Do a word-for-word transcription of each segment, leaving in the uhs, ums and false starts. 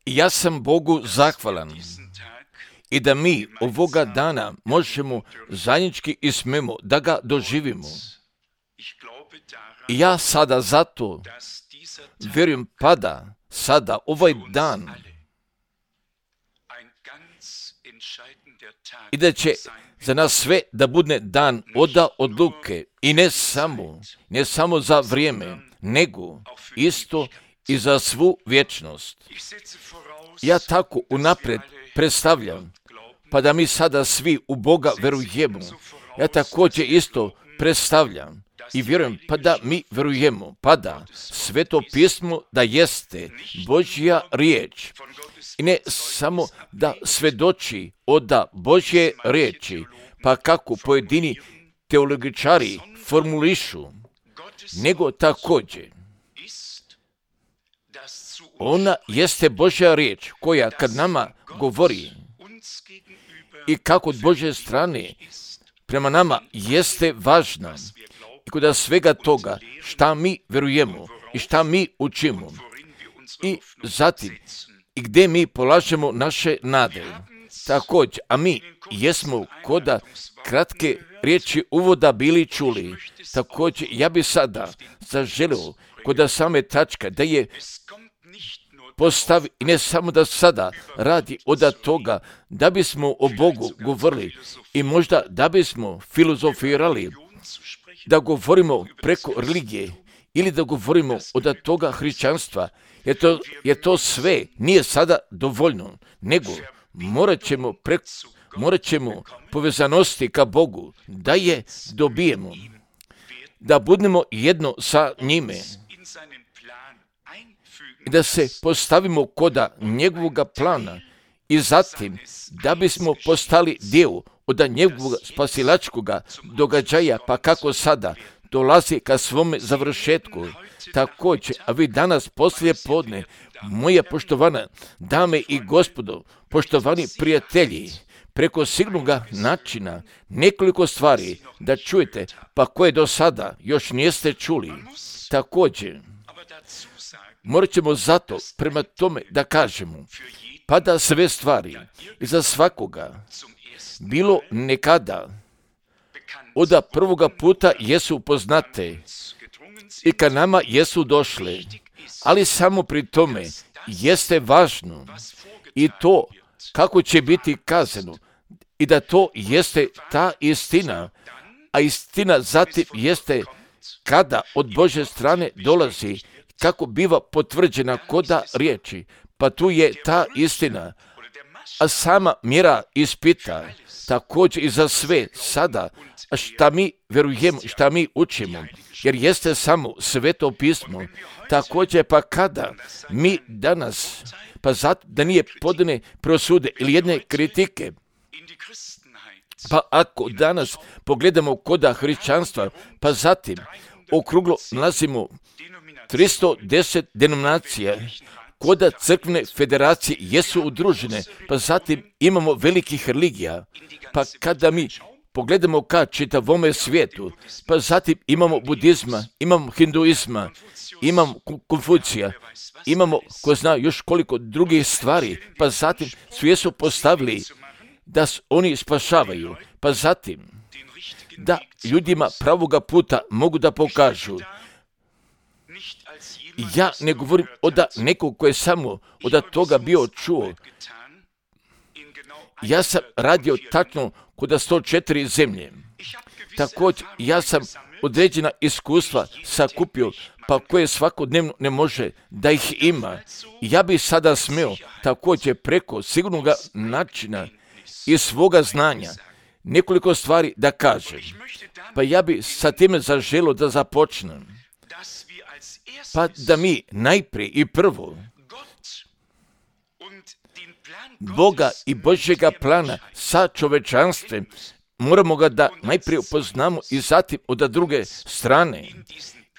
Ja sam Bogu zahvalan i da mi ovoga dana možemo zajednički i smemo da ga doživimo. I ja sada zato vjerujem pada sada ovaj dan i da će za nas sve da bude dan oda odluke i ne samo, ne samo za vrijeme, nego isto i za svu vječnost. Ja tako unaprijed predstavljam, pa da mi sada svi u Boga verujemo. Ja također isto predstavljam i vjerujem pa da mi verujemo, pa da Sveto pismo da jeste Božja riječ. I ne samo da svedoči od Božje riječi, pa kako pojedini teologičari formulišu, nego također ona jeste Božja riječ koja kad nama govori i kako od Božje strane prema nama jeste važna i kod svega toga šta mi verujemo i šta mi učimo i zatim i gdje mi polažemo naše nade. Također, a mi jesmo koda kratke riječi uvoda bili čuli. Također, ja bi sada zaželio koda same tačka da je postavi i ne samo da sada radi od toga da bismo o Bogu govorili i možda da bismo filozofirali, da govorimo preko religije ili da govorimo od toga hrišćanstva, jer to, jer to sve nije sada dovoljno, nego morat ćemo, preko, morat ćemo povezanosti ka Bogu da je dobijemo, da budemo jedno sa njime i da se postavimo koda njegovog plana i zatim da bismo postali dio od njegovog spasilačkog događaja, pa kako sada dolazi ka svome završetku. Također, a vi danas poslije podne, moje poštovane dame i gospodo, poštovani prijatelji, preko sigurnoga načina nekoliko stvari da čujete, pa koje do sada još niste čuli. Također, morat ćemo zato prema tome da kažemo, pa da sve stvari i za svakoga bilo nekada od prvoga puta jesu poznate i ka nama jesu došle, ali samo pri tome jeste važno i to kako će biti kazano i da to jeste ta istina, a istina zatim jeste kada od Božje strane dolazi, kako biva potvrđena koda riječi, pa tu je ta istina, a sama mjera ispita također i za sve sada, šta mi verujemo, šta mi učimo, jer jeste samo Sveto pismo. Također pa kada mi danas, pa zato da nije podane prosude ili jedne kritike, pa ako danas pogledamo koda hrišćanstva, pa zatim okruglo nalazimo tristo deset denominacija, koda crkvene federacije jesu udružene, pa zatim imamo velikih religija, pa kada mi pogledamo ka čitavome svijetu, pa zatim imamo budizma, imamo hinduizma, imamo Konfucija, imamo ko zna još koliko drugih stvari, pa zatim su jesu postavili da oni spašavaju, pa zatim da ljudima pravoga puta mogu da pokažu. Ja ne govorim od nekog koji je samo od toga bio čuo. Ja sam radio tačno kod sto četiri zemlje. Također, ja sam određena iskustva sakupio, pa koje svakodnevno ne može da ih ima. Ja bi sada smio također preko sigurnog načina i svoga znanja nekoliko stvari da kažem. Pa ja bi sa time zaželio da započnem. Pa da mi najprije i prvo Boga i Božjega plana sa čovečanstvom moramo ga da najprije upoznamo i zatim od druge strane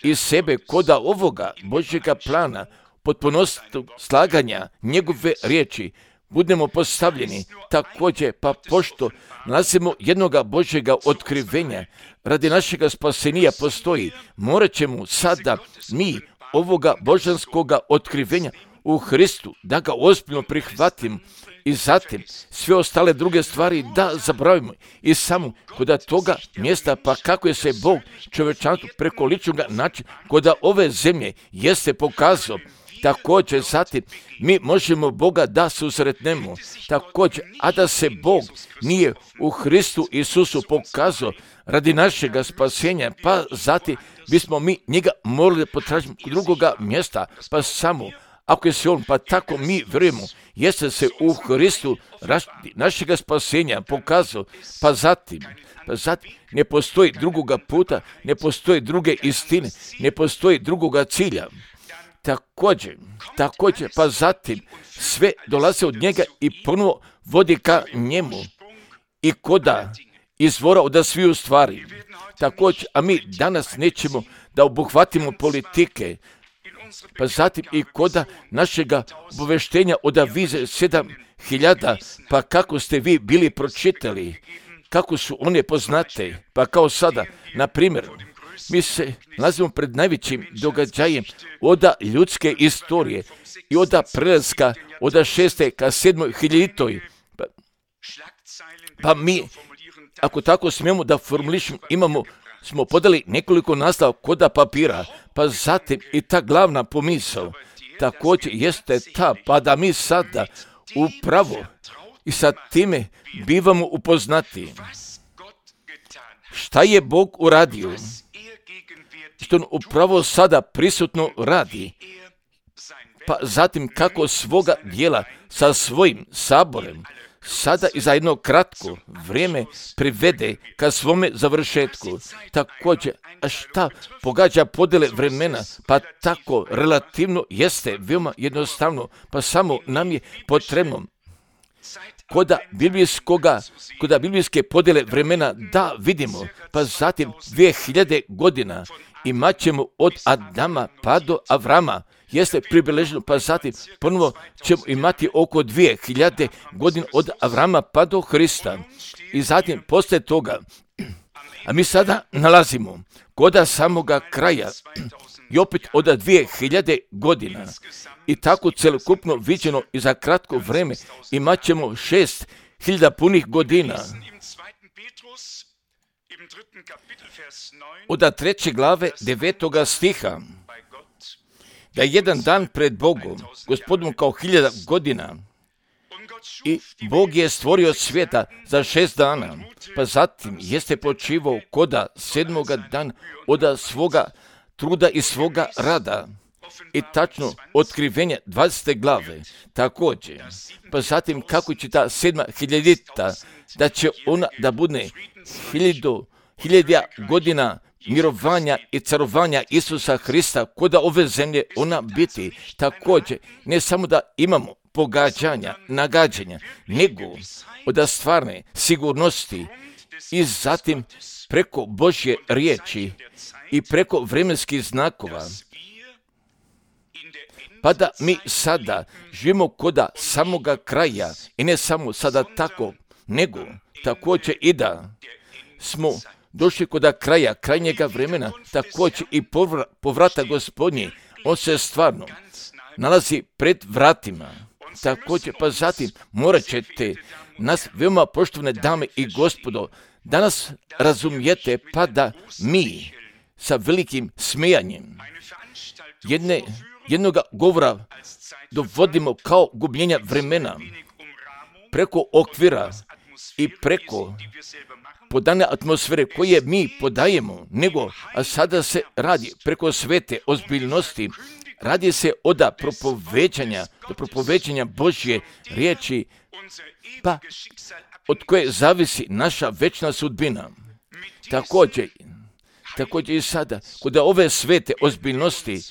i sebe koda ovoga Božjega plana potpunosti slaganja njegove riječi budemo postavljeni također, pa pošto nalazimo jednoga Božjega otkrivenja radi našega spasenija postoji, morat ćemo sada mi ovoga božanskoga otkrivenja u Hristu, da ga ozbiljno prihvatim i zatim sve ostale druge stvari da zaboravimo i samo kod toga mjesta, pa kako je se Bog čovječanstvu preko ličnog načina kod ove zemlje jeste pokazao. Također zatim mi možemo Boga da susretnemo također, a da se Bog nije u Hristu Isusu pokazao radi našega spasenja, pa zatim bismo mi njega morali potražiti drugoga mjesta, pa samo ako je se on, pa tako mi vjerujemo, jeste se u Hristu našega spasenja pokazao, pa zatim, pa zatim ne postoji drugoga puta, ne postoji druge istine, ne postoji drugoga cilja. Također, također, pa zatim sve dolaze od njega i ponovo vodi ka njemu i koda izvora od sviju stvari. Također, a mi danas nećemo da obuhvatimo politike, pa zatim i koda našega obaveštenja od vize sedam hiljada, pa kako ste vi bili pročitali, kako su one poznate, pa kao sada, na primjer, mi se nalazimo pred najvećim događajem oda ljudske istorije i oda prelaska oda šeste ka sedmoj hiljaditoj. Pa, pa mi, ako tako smijemo da formulišemo, imamo, smo podali nekoliko naslova koda papira, pa zatim i ta glavna pomisao također jeste ta, pa da mi sada upravo i sa time bivamo upoznati šta je Bog uradio, što on upravo sada prisutno radi, pa zatim kako svoga dijela sa svojim saborem sada i za jedno kratko vrijeme privede ka svome završetku. Također, a šta pogađa podjele vremena, pa tako relativno jeste veoma jednostavno, pa samo nam je potrebno koda biblijskoga, koda biblijske podjele vremena da vidimo, pa zatim dvije hiljade godina imat ćemo od Adama pa do Avrama, jeste približeno, pa zatim ponovo ćemo imati oko dvije hiljade godina od Avrama pa do Hrista. I zatim poslije toga, a mi sada nalazimo koda samoga kraja i opet od dvije hiljade godina i tako celokupno viđeno i za kratko vreme imat ćemo šest hiljada punih godina. Od treće glave devetoga stiha, da je jedan dan pred Bogom, Gospodom kao hiljada godina, i Bog je stvorio svijeta za šest dana, pa zatim jeste počivao koda sedmoga dana od svoga truda i svoga rada. I tačno otkrivenje dvadesete glave također, pa zatim kako će ta sedma hiljadita, da će ona da bude hiljadu, hiljadija godina mirovanja i carovanja Isusa Hrista koda ove zemlje ona biti. Također, ne samo da imamo pogađanja, nagađanja, nego od stvarne sigurnosti i zatim preko Božje riječi i preko vremenskih znakova, pa da mi sada živimo koda samoga kraja i ne samo sada tako, nego također i da smo došli koda kraja, krajnjega vremena, također i povra, povrata Gospodnje, on se stvarno nalazi pred vratima. Također, pa zatim morat ćete nas, veoma poštovane dame i gospodo, danas razumijete, pa da mi sa velikim smejanjem jedne, jednoga govora dovodimo kao gubljenja vremena preko okvira i preko podane atmosfere koje mi podajemo, nego, a sada se radi preko svete ozbiljnosti, radi se od propoveđanja, do propoveđanja Božje riječi, pa od koje zavisi naša večna sudbina. Također, također i sada, kod ove svete ozbiljnosti,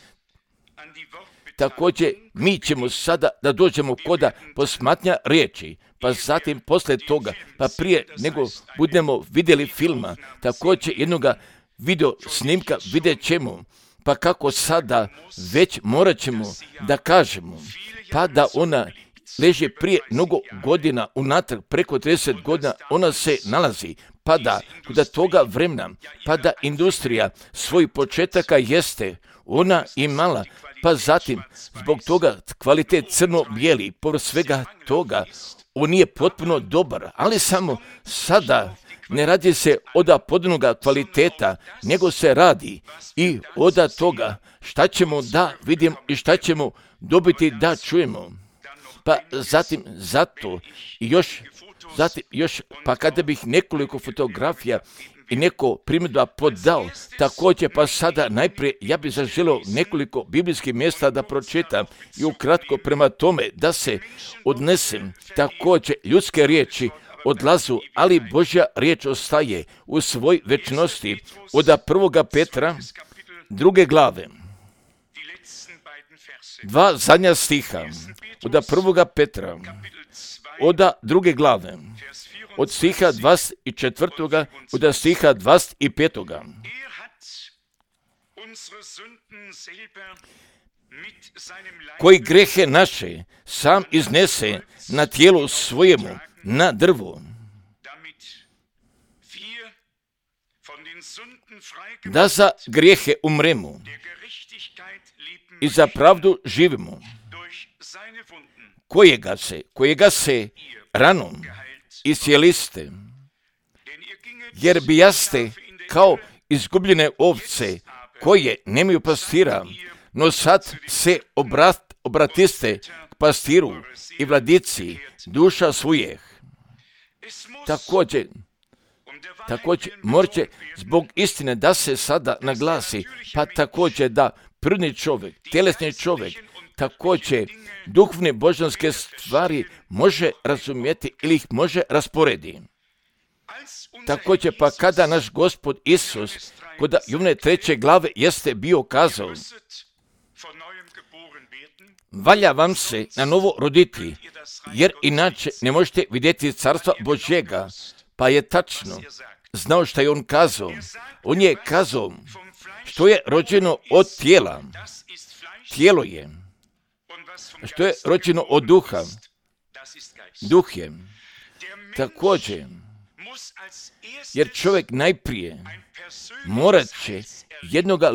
također mi ćemo sada da dođemo koda posmatnja riječi, pa zatim poslije toga, pa prije nego budemo vidjeli filma, također jednoga video snimka vidjet ćemo, pa kako sada već morat ćemo da kažemo, pa da ona leži prije mnogo godina unatrag, preko trideset godina, ona se nalazi, pa da kod toga vremena, pa da industrija svoj početaka jeste ona imala, pa zatim zbog toga kvalitet crno-bijeli, povrh svega toga, on nije potpuno dobar, ali samo sada ne radi se od podnoga kvaliteta, nego se radi i od toga šta ćemo da vidimo i šta ćemo dobiti da čujemo. Pa zatim zato i još, zatim još, pa kada bih nekoliko fotografija i neko primjedba podao, također pa sada najprije ja bih zaželio nekoliko biblijskih mjesta da pročitam i ukratko prema tome da se odnesem također ljudske riječi odlazu, ali Božja riječ ostaje u svoj večnosti. Od prvoga Petra, druge glave, dva zadnja stiha, od prvoga Petra, od druge glave, od stiha dvadeset četvrtoga od stiha dvadeset petoga koji grehe naše sam iznese na tijelu svojemu, na drvu, da za grijehe umremo i za pravdu živimo, kojega se, kojega se ranom iscijeliste, jer bijaste kao izgubljene ovce koje nemaju pastira, no sad se obrat, obratiste k pastiru i vladici duša svojih. Također, također morće zbog istine da se sada naglasi, pa također da prirodni čovjek, tjelesni čovjek, također duhovne božanske stvari može razumjeti ili ih može rasporediti. Također pa kada naš Gospod Isus kod Jovane treće glave jeste bio kazao, valja vam se na novo roditi, jer inače ne možete vidjeti carstva Božjega. Pa je tačno znao što je on kazao. On je kazao što je rođeno od tijela, tijelo je. Što je rođeno od duha, duh je. Također, jer čovjek najprije morat će jednoga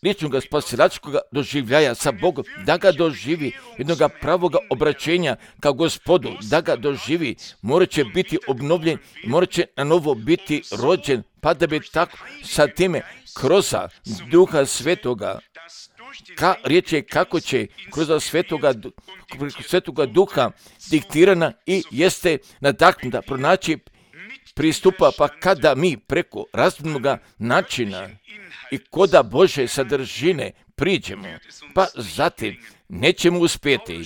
ličnog spasilačkog doživljaja sa Bogom, da ga doživi, jednoga pravoga obraćenja kao Gospodu, da ga doživi, morat će biti obnovljen, morat će na novo biti rođen, pa da bi tako sa time kroz Duha Svetoga, ka, riječ je kako će kroz Svetoga, Svetoga Duha diktirana i jeste nadahnuta pronaći pristupa, pa kada mi preko razumnog načina i koda Bože sadržine priđemo, pa zatim nećemo uspjeti.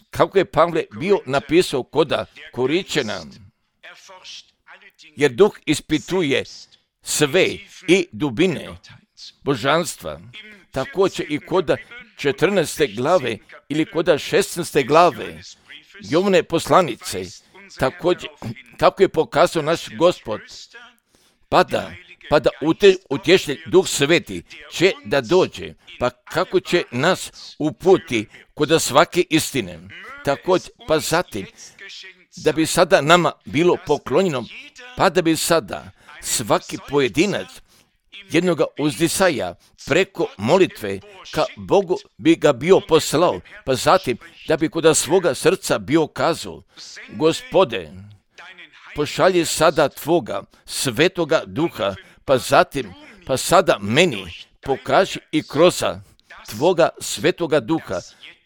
Kako je Pavle bio napisao koda Koričana, jer duh ispituje sve i dubine božanstva. Također i koda četrnaeste glave ili koda šesnaeste glave Jovane poslanice, također kako je pokazao naš Gospod, pa da, pa da utješitelj Duh Sveti će da dođe, pa kako će nas uputi kod svake istine. Također, pa zatim, da bi sada nama bilo poklonjeno, pa da bi sada svaki pojedinac jednoga uzdisaja preko molitve ka Bogu bi ga bio poslao, pa zatim da bi kod svoga srca bio kazao, Gospode, pošalji sada Tvoga Svetoga Duha, pa zatim, pa sada meni pokaži i kroz Tvoga Svetoga Duha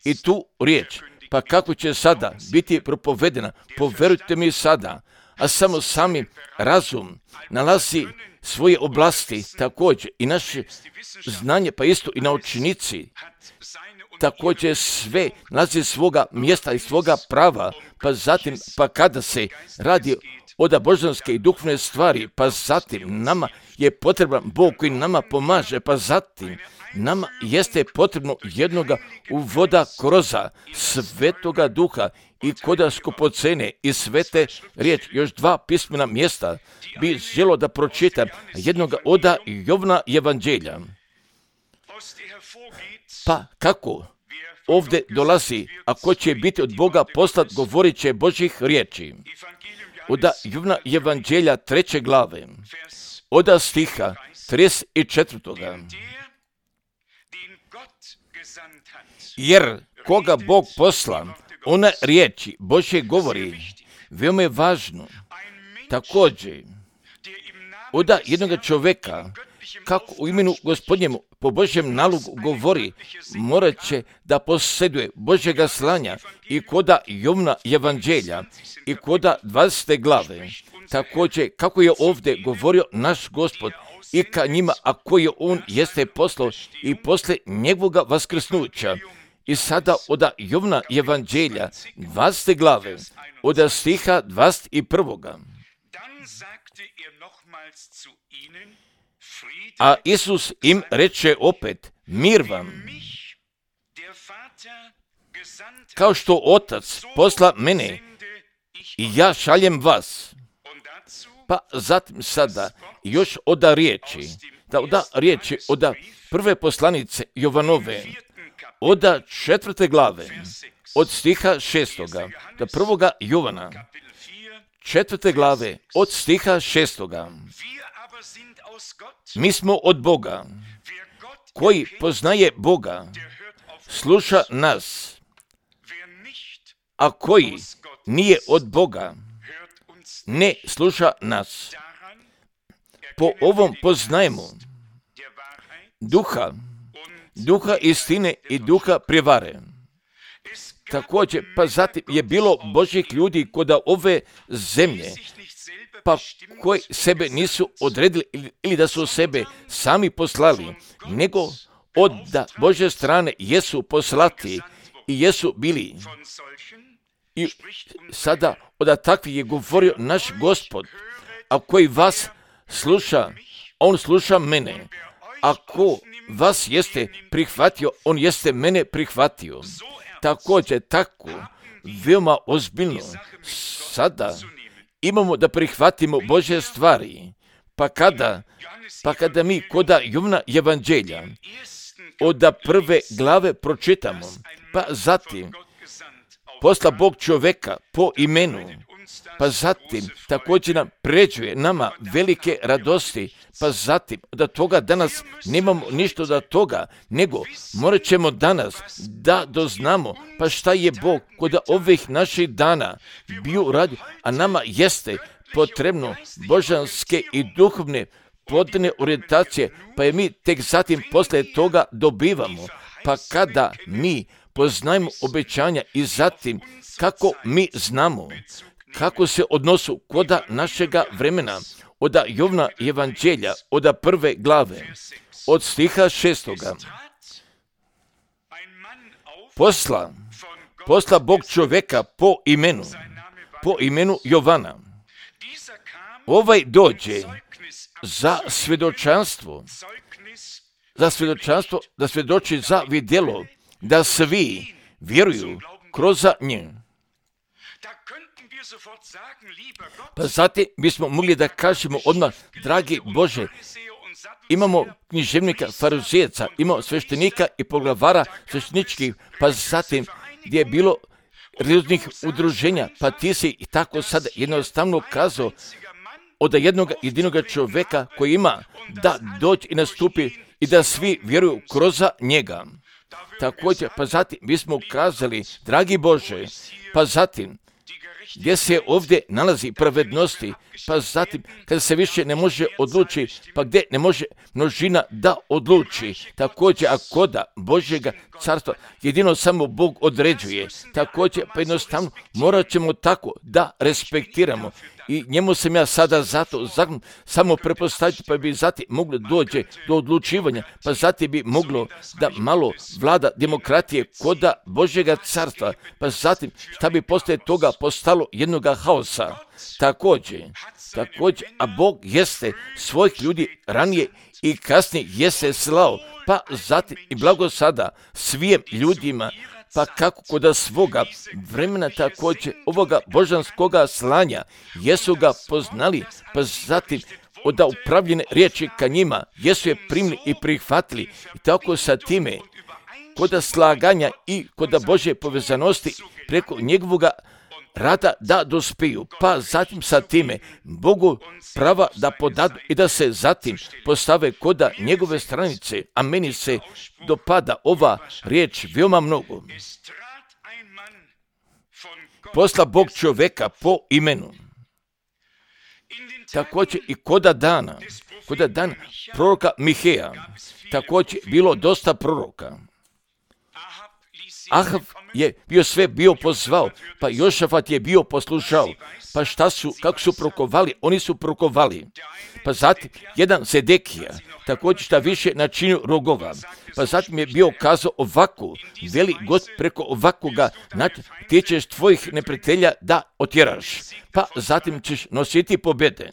i tu riječ, pa kako će sada biti propovedena, poverujte mi sada, a samo sami razum nalazi svoje oblasti, također i naše znanje, pa isto i naučnici, također sve nalazi svoga mjesta i svoga prava, pa zatim, pa kada se radi od božanske i duhovne stvari, pa zatim nama je potreban Bog koji nama pomaže, pa zatim nama jeste potrebno jednoga uvoda kroz Svetoga Duha i koda skupocene i svete riječ. Još dva pismena mjesta bi želo da pročitam, jednoga oda Jovana Evanđelja. Pa kako ovdje dolazi, ako će biti od Boga poslat, govorit će Božjih riječi. Oda Jovana Evanđelja treće glave, oda stiha trideset četvrtoga Jer koga Bog posla, ona riječi Božje govori. Veoma je važno također od jednog čovjeka, kako u imenu Gospodnjemu po Božjem nalogu govori, morat će da posjeduje Božjega slanja i koda Jovna evanđelja i koda dvadesete glave. Također, kako je ovdje govorio naš Gospod i ka njima, a koje on jeste poslao i posle njegovoga vaskrsnuća. I sada od Jovna evanđelja dvadesete glave, od stiha dvadeset prvog. A Isus im reče opet, mir vam. Kao što Otac posla mene i ja šaljem vas. Pa zatim sada još oda riječi, da oda riječi oda prve poslanice Jovanove, oda četvrte glave, od stiha šestoga, da prvoga Jovana, četvrte glave, od stiha šestoga. Mi smo od Boga, koji poznaje Boga, sluša nas, a koji nije od Boga, ne sluša nas. Po ovom poznajemo duha, duha istine i duha prijevare. Također, pa zatim je bilo Božjih ljudi kod ove zemlje, pa koji sebe nisu odredili ili da su sebe sami poslali, nego od da Božje strane jesu poslati i jesu bili. I sada od takvih je govorio naš Gospod, a koji vas sluša, on sluša mene. Ako vas jeste prihvatio, on jeste mene prihvatio. Također, tako, veoma ozbiljno, sada imamo da prihvatimo Božje stvari, pa kada, pa kada mi koda Jovna evanđelja od prve glave pročitamo, pa zatim posla Bog čovjeka po imenu, pa zatim također nam pređuje nama velike radosti, pa zatim od toga danas nemamo ništa od toga, nego morat ćemo danas da doznamo pa šta je Bog kod ovih naših dana bio radio, a nama jeste potrebno božanske i duhovne plodne orijentacije, pa je mi tek zatim posle toga dobivamo, pa kada mi poznajemo obećanja i zatim kako mi znamo kako se odnosu koda našega vremena, od Jovna evanđelja, od prve glave, od stiha šestoga. Posla, posla Bog čovjeka po imenu, po imenu Jovana. Ovaj dođe za svjedočanstvo, za svjedočanstvo, da svjedoči za vidjelo, da svi vjeruju kroz nje. Pa zatim bismo mogli da kažemo odmah, dragi Bože, imamo književnika, farizejaca, imamo sveštenika i poglavara svešteničkih, pa zatim gdje je bilo religioznih udruženja, pa ti si i tako sada jednostavno kazao od jednog jedinog čovjeka koji ima da dođe i nastupi i da svi vjeruju kroz njega. Također, pa zatim bismo kazali, dragi Bože, pa zatim gdje se ovdje nalazi pravednosti, pa zatim kada se više ne može odluči, pa gdje ne može množina da odluči. Također, a koda Božjega carstva jedino samo Bog određuje. Također, pa jednostavno morat ćemo tako da respektiramo. I njemu sam ja sada zato zakon samo prepostaviti, pa bi zatim moglo dođe do odlučivanja, pa zatim bi moglo da malo vlada demokratije koda Božjega carstva, pa zatim šta bi poslije toga postalo jednoga haosa. Također, također, a Bog jeste svojih ljudi ranije i kasnije jeste slao, pa zatim i blago sada svim ljudima, pa kako kod svoga vremena također ovoga božanskoga slanja jesu ga poznali, pa zatim od upravljene riječi ka njima jesu je primili i prihvatili i tako sa time kod slaganja i kod Božje povezanosti preko njegovoga rada da dospiju, pa zatim sa time Bogu prava da podadu i da se zatim postave koda njegove stranice, a meni se dopada ova riječ veoma mnogo. Posla Bog čovjeka po imenu. Također i koda dana, koda dana proroka Miheja, također bilo dosta proroka. Ahav je bio sve bio pozvao, pa Jošafat je bio poslušao. Pa šta su, kako su prokovali? Oni su prokovali. Pa zatim jedan Sedekija, također šta više načinio rogova. Pa zatim je bio kazao ovako, veli God preko ovakoga, ti ćeš tvojih neprijatelja da otjeraš. Pa zatim ćeš nositi pobjede.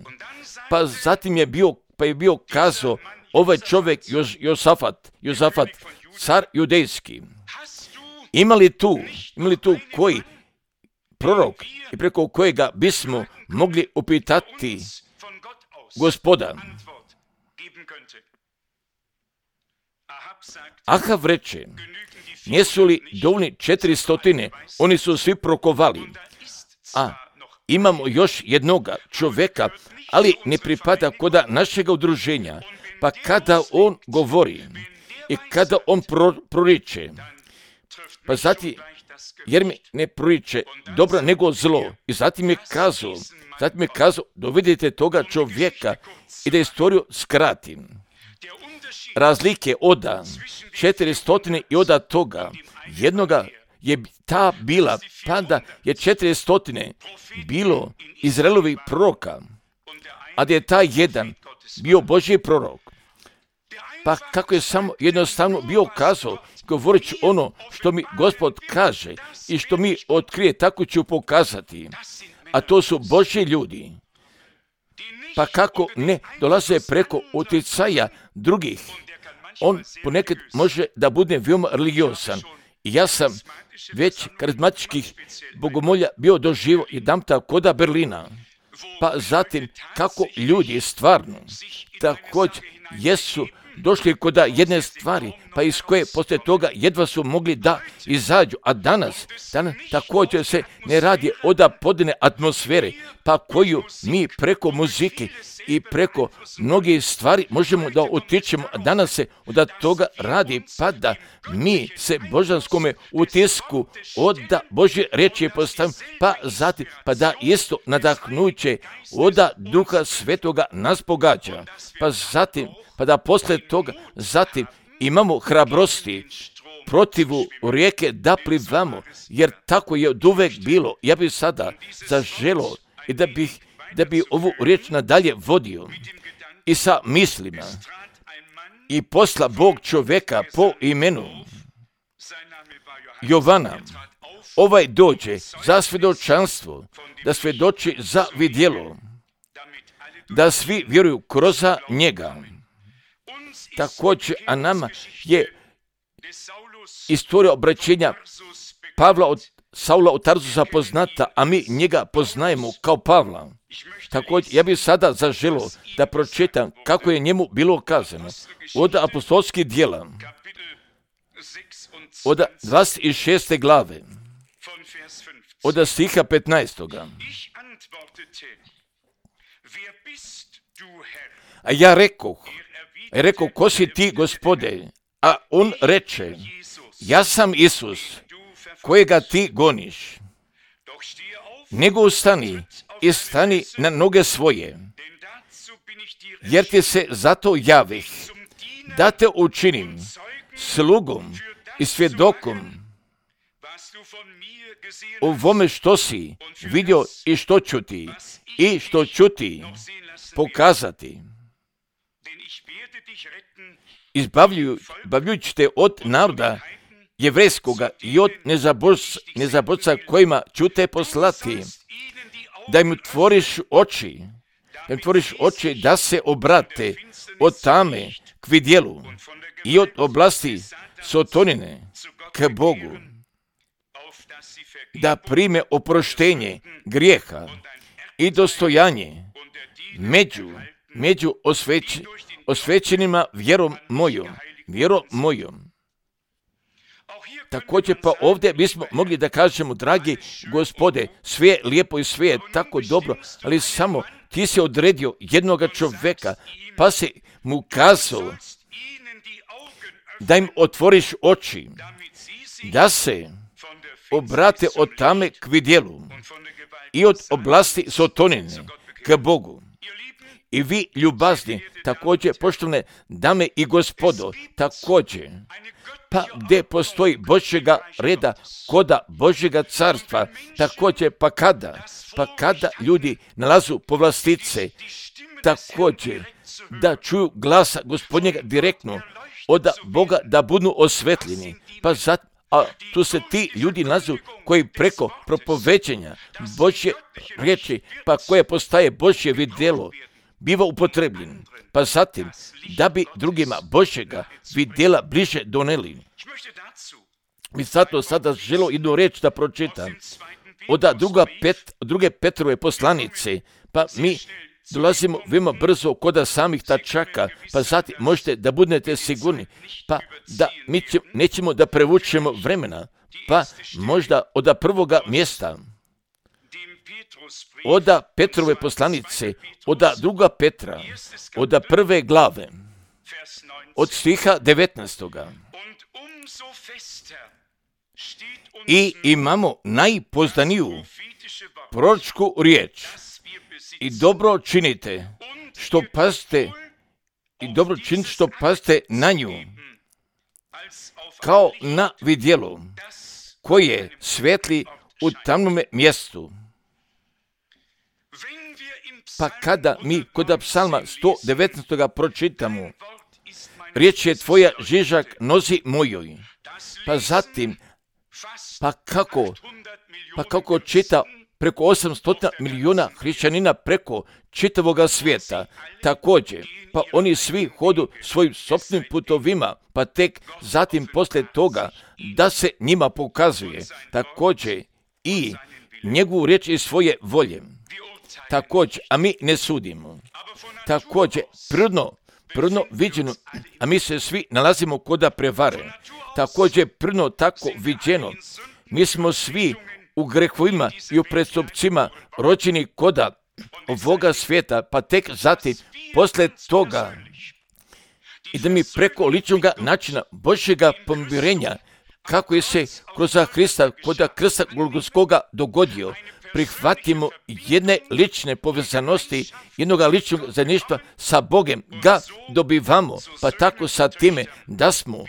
Pa zatim je bio, pa je bio kazao ovaj čovjek Jos, Josafat, Josafat, car judejski. Ima li tu, ima li tu koji prorok i preko kojega bismo mogli upitati Gospoda? Ahav reče, nisu li dovoljni četiri stotine, oni su svi prokovali, a imamo još jednoga čovjeka, ali ne pripada koda našega udruženja, pa kada on govori i kada on pro, proriče, pa zatim, jer mi ne proriče dobro nego zlo, i zatim je kazao, zatim je kazao, dovedite toga čovjeka i da istoriju skratim. Razlike oda četiri stotine i oda toga jednoga je ta bila, pa da je četiri stotine bilo Izraelovih proroka, a da je taj jedan bio Božji prorok. Pa kako je samo jednostavno bio kazao, govorit ću ono što mi Gospod kaže i što mi otkrije, tako ću pokazati. A to su Božji ljudi. Pa kako ne dolaze preko utjecaja drugih, on ponekad može da bude veoma religiosan. I ja sam već karizmatičkih bogomolja bio doživo jedanputa koda Berlina. Pa zatim kako ljudi stvarno također jesu došli koda jedne stvari, pa iz koje poslije toga jedva su mogli da izađu. A danas, danas također se ne radi od podne atmosfere, pa koju mi preko muzike i preko mnogih stvari možemo da utičemo. A danas se od toga radi, pa da mi se božanskome utisku od Božje riječi postavimo, pa zatim, pa da isto nadahnuće od Duha Svetoga nas pogađa. Pa zatim, pa da poslije toga, zatim imamo hrabrosti protivu rijeke da plivamo, jer tako je od uvek bilo. Ja bih sada zaželio i da bih, da bi ovu riječ nadalje vodio i sa mislima. I posla Bog čovjeka po imenu Jovana. Ovaj dođe za svjedočanstvo, da svjedoči za vidjelo, da svi vjeruju kroz njega. Također, a nama je istorija obraćenja Pavla od Saula od Tarzusa poznata, a mi njega poznajemo kao Pavla. Također, ja bih sada zaželio da pročitam kako je njemu bilo kazano od apostolskih djela, od dvadeset šeste glave, od stiha petnaestoga. A ja rekoh, Rekao, ko si ti, Gospode? A on reče, ja sam Isus, kojega ti goniš. Nego ustani i stani na noge svoje, jer ti se zato javih, da te učinim slugom i svjedokom u ovome što si vidio i što ću ti, i što ću ti pokazati. Izbavljujući te od naroda jevrejskoga i od nezaborca kojima ću te poslati, da im otvoriš oči, da im otvoriš oči da se obrate od tame k vidjelu i od oblasti sotonine k Bogu, da prime oproštenje grijeha i dostojanje među, među osvećenima, osvećenima vjerom mojom, vjerom mojom. Također pa ovdje bismo mogli da kažemo, dragi Gospode, sve je lijepo i sve je tako dobro, ali samo ti si odredio jednoga čovjeka, pa si mu kazao da im otvoriš oči, da se obrate od tame k vidjelu i od oblasti sotonine k Bogu. I vi, ljubazni, također, poštovane dame i gospodo, također, pa gdje postoji Božjega reda, koda Božjega carstva, također, pa kada, pa kada ljudi nalazu povlastice, također, da čuju glasa Gospodnjega direktno, od Boga da budu osvetljeni, pa zato, a tu se ti ljudi nalazu koji preko propoveđenja Božje riječi, pa koje postaje Božje vidjelo, biva upotrebljen, pa zatim, da bi drugima Božjega vidjela bliže doneli. Mi zato sada želo jednu reč da pročitam, od druga pet, druge Petrove poslanice, pa mi dolazimo veoma brzo koda samih tačaka, pa zatim možete da budete sigurni, pa da mi će, nećemo da prevučemo vremena, pa možda od prvoga mjesta, od Petrove poslanice, od druga Petra, od prve glave, od stiha devetnaestoga. I imamo najpoznaniju proročku riječ. I dobro činite što pazite, i dobro činite što pazite na nju, kao na vidjelo koje svetli u tamnome mjestu. Pa kada mi kod psalma sto devetnaest. pročitamo, riječ je tvoja žižak nozi mojoj, pa zatim, pa kako, pa kako čita preko osamsto milijuna hrišćanina preko čitavoga svijeta, također, pa oni svi hodu svojim sopstvenim putovima, pa tek zatim poslije toga da se njima pokazuje, također i njegovu riječ iz svoje volje. Također, a mi ne sudimo. Također, prirodno, prirodno viđeno, a mi se svi nalazimo koda prevare. Također, prirodno tako viđeno, mi smo svi u grehovima i u prestupcima rođeni koda ovoga svijeta, pa tek zatim, poslije toga, i da mi preko ličnog načina Božjega pomirenja, kako je se kroz Hrista koda krsta Golgotskoga dogodio, prihvatimo jedne lične povezanosti, jednoga ličnog zajedništva sa Bogem, ga dobivamo, pa tako sa time da smo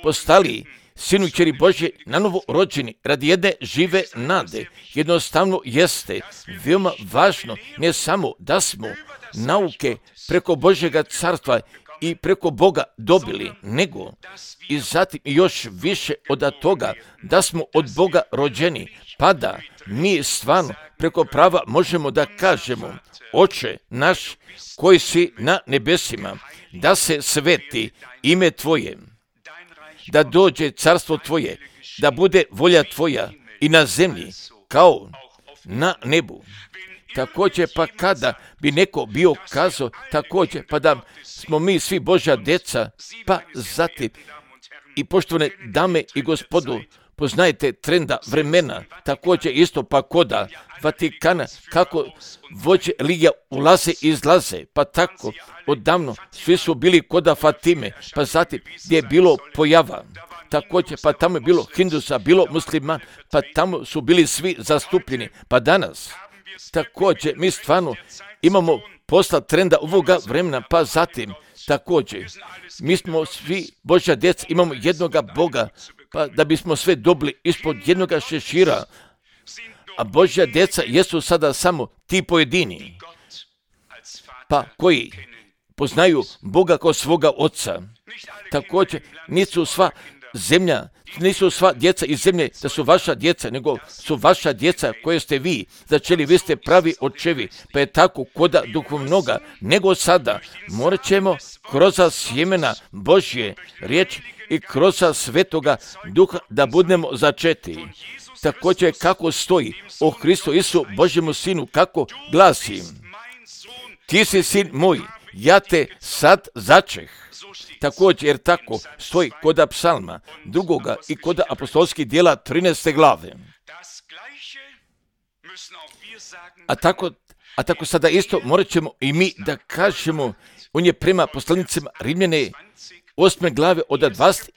postali sinu i kćeri Božje na novo rođeni radi jedne žive nade. Jednostavno jeste veoma važno ne samo da smo nauke preko Božjega carstva i preko Boga dobili, nego i zatim još više od toga da smo od Boga rođeni, pa da mi stvarno preko prava možemo da kažemo: Oče naš koji si na nebesima, da se sveti ime Tvoje, da dođe carstvo Tvoje, da bude volja Tvoja i na zemlji kao na nebu. Također pa kada bi neko bio kazao također pa da smo mi svi Božja djeca, pa zatim i poštovane dame i gospodu, poznajete trenda vremena, također isto pa koda Vatikana, kako vođe religija ulaze i izlaze, pa tako odavno svi su bili koda Fatime, pa zatim gdje je bilo pojava, također pa tamo je bilo Hindusa, bilo musliman, pa tamo su bili svi zastupljeni, pa danas također mi stvarno imamo posla trenda ovoga vremena, pa zatim također mi smo svi Božja djeca, imamo jednoga Boga, pa da bismo sve dobili ispod jednoga šešira, a Božja djeca jesu sada samo ti pojedini, pa koji poznaju Boga kao svoga oca. Također nisu sva zemlja, nisu sva djeca iz zemlje da su vaša djeca, nego su vaša djeca koje ste vi začeli, vi ste pravi očevi, pa je tako koda duhovnoga, nego sada morat ćemo kroz sjemena Božje riječ i kroz svetoga duha da budemo začeti. Također kako stoji o Hristu Isu Božjemu sinu, kako glasi: Ti si sin moj, ja te sad začeh. Također, jer tako stoji koda psalma drugoga i koda apostolskih djela trinaeste glave. A tako, a tako sada isto morat ćemo i mi da kažemo, on je prema poslanicima Rimljane osme glave od dvadeset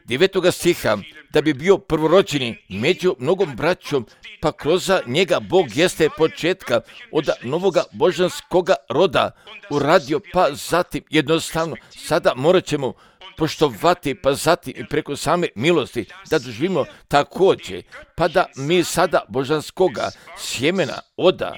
devetoga stiha, da bi bio prvorođeni među mnogom braćom, pa kroz njega Bog jeste početka od novoga božanskoga roda uradio, pa zatim jednostavno sada morat ćemo poštovati, pa zatim i preko same milosti da doživimo također, pa da mi sada božanskoga sjemena oda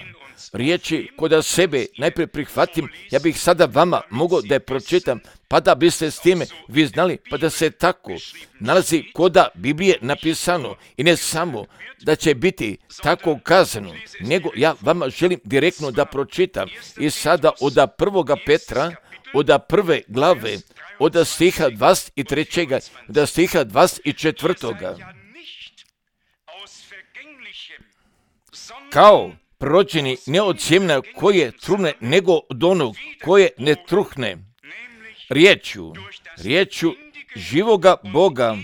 riječi koda sebe najprije prihvatim, ja bih sada vama mogao da je pročitam, pa da biste s time vi znali, pa da se tako nalazi koda Biblije napisano i ne samo da će biti tako kazano, nego ja vama želim direktno da pročitam i sada od prvoga Petra, od prve glave, od stiha dvadeset trećega, od stiha dvadeset četvrtoga. Kao prođeni ne od sjemena koje trune, nego od onog koje ne truhne. Riječju, riječju živoga Boga,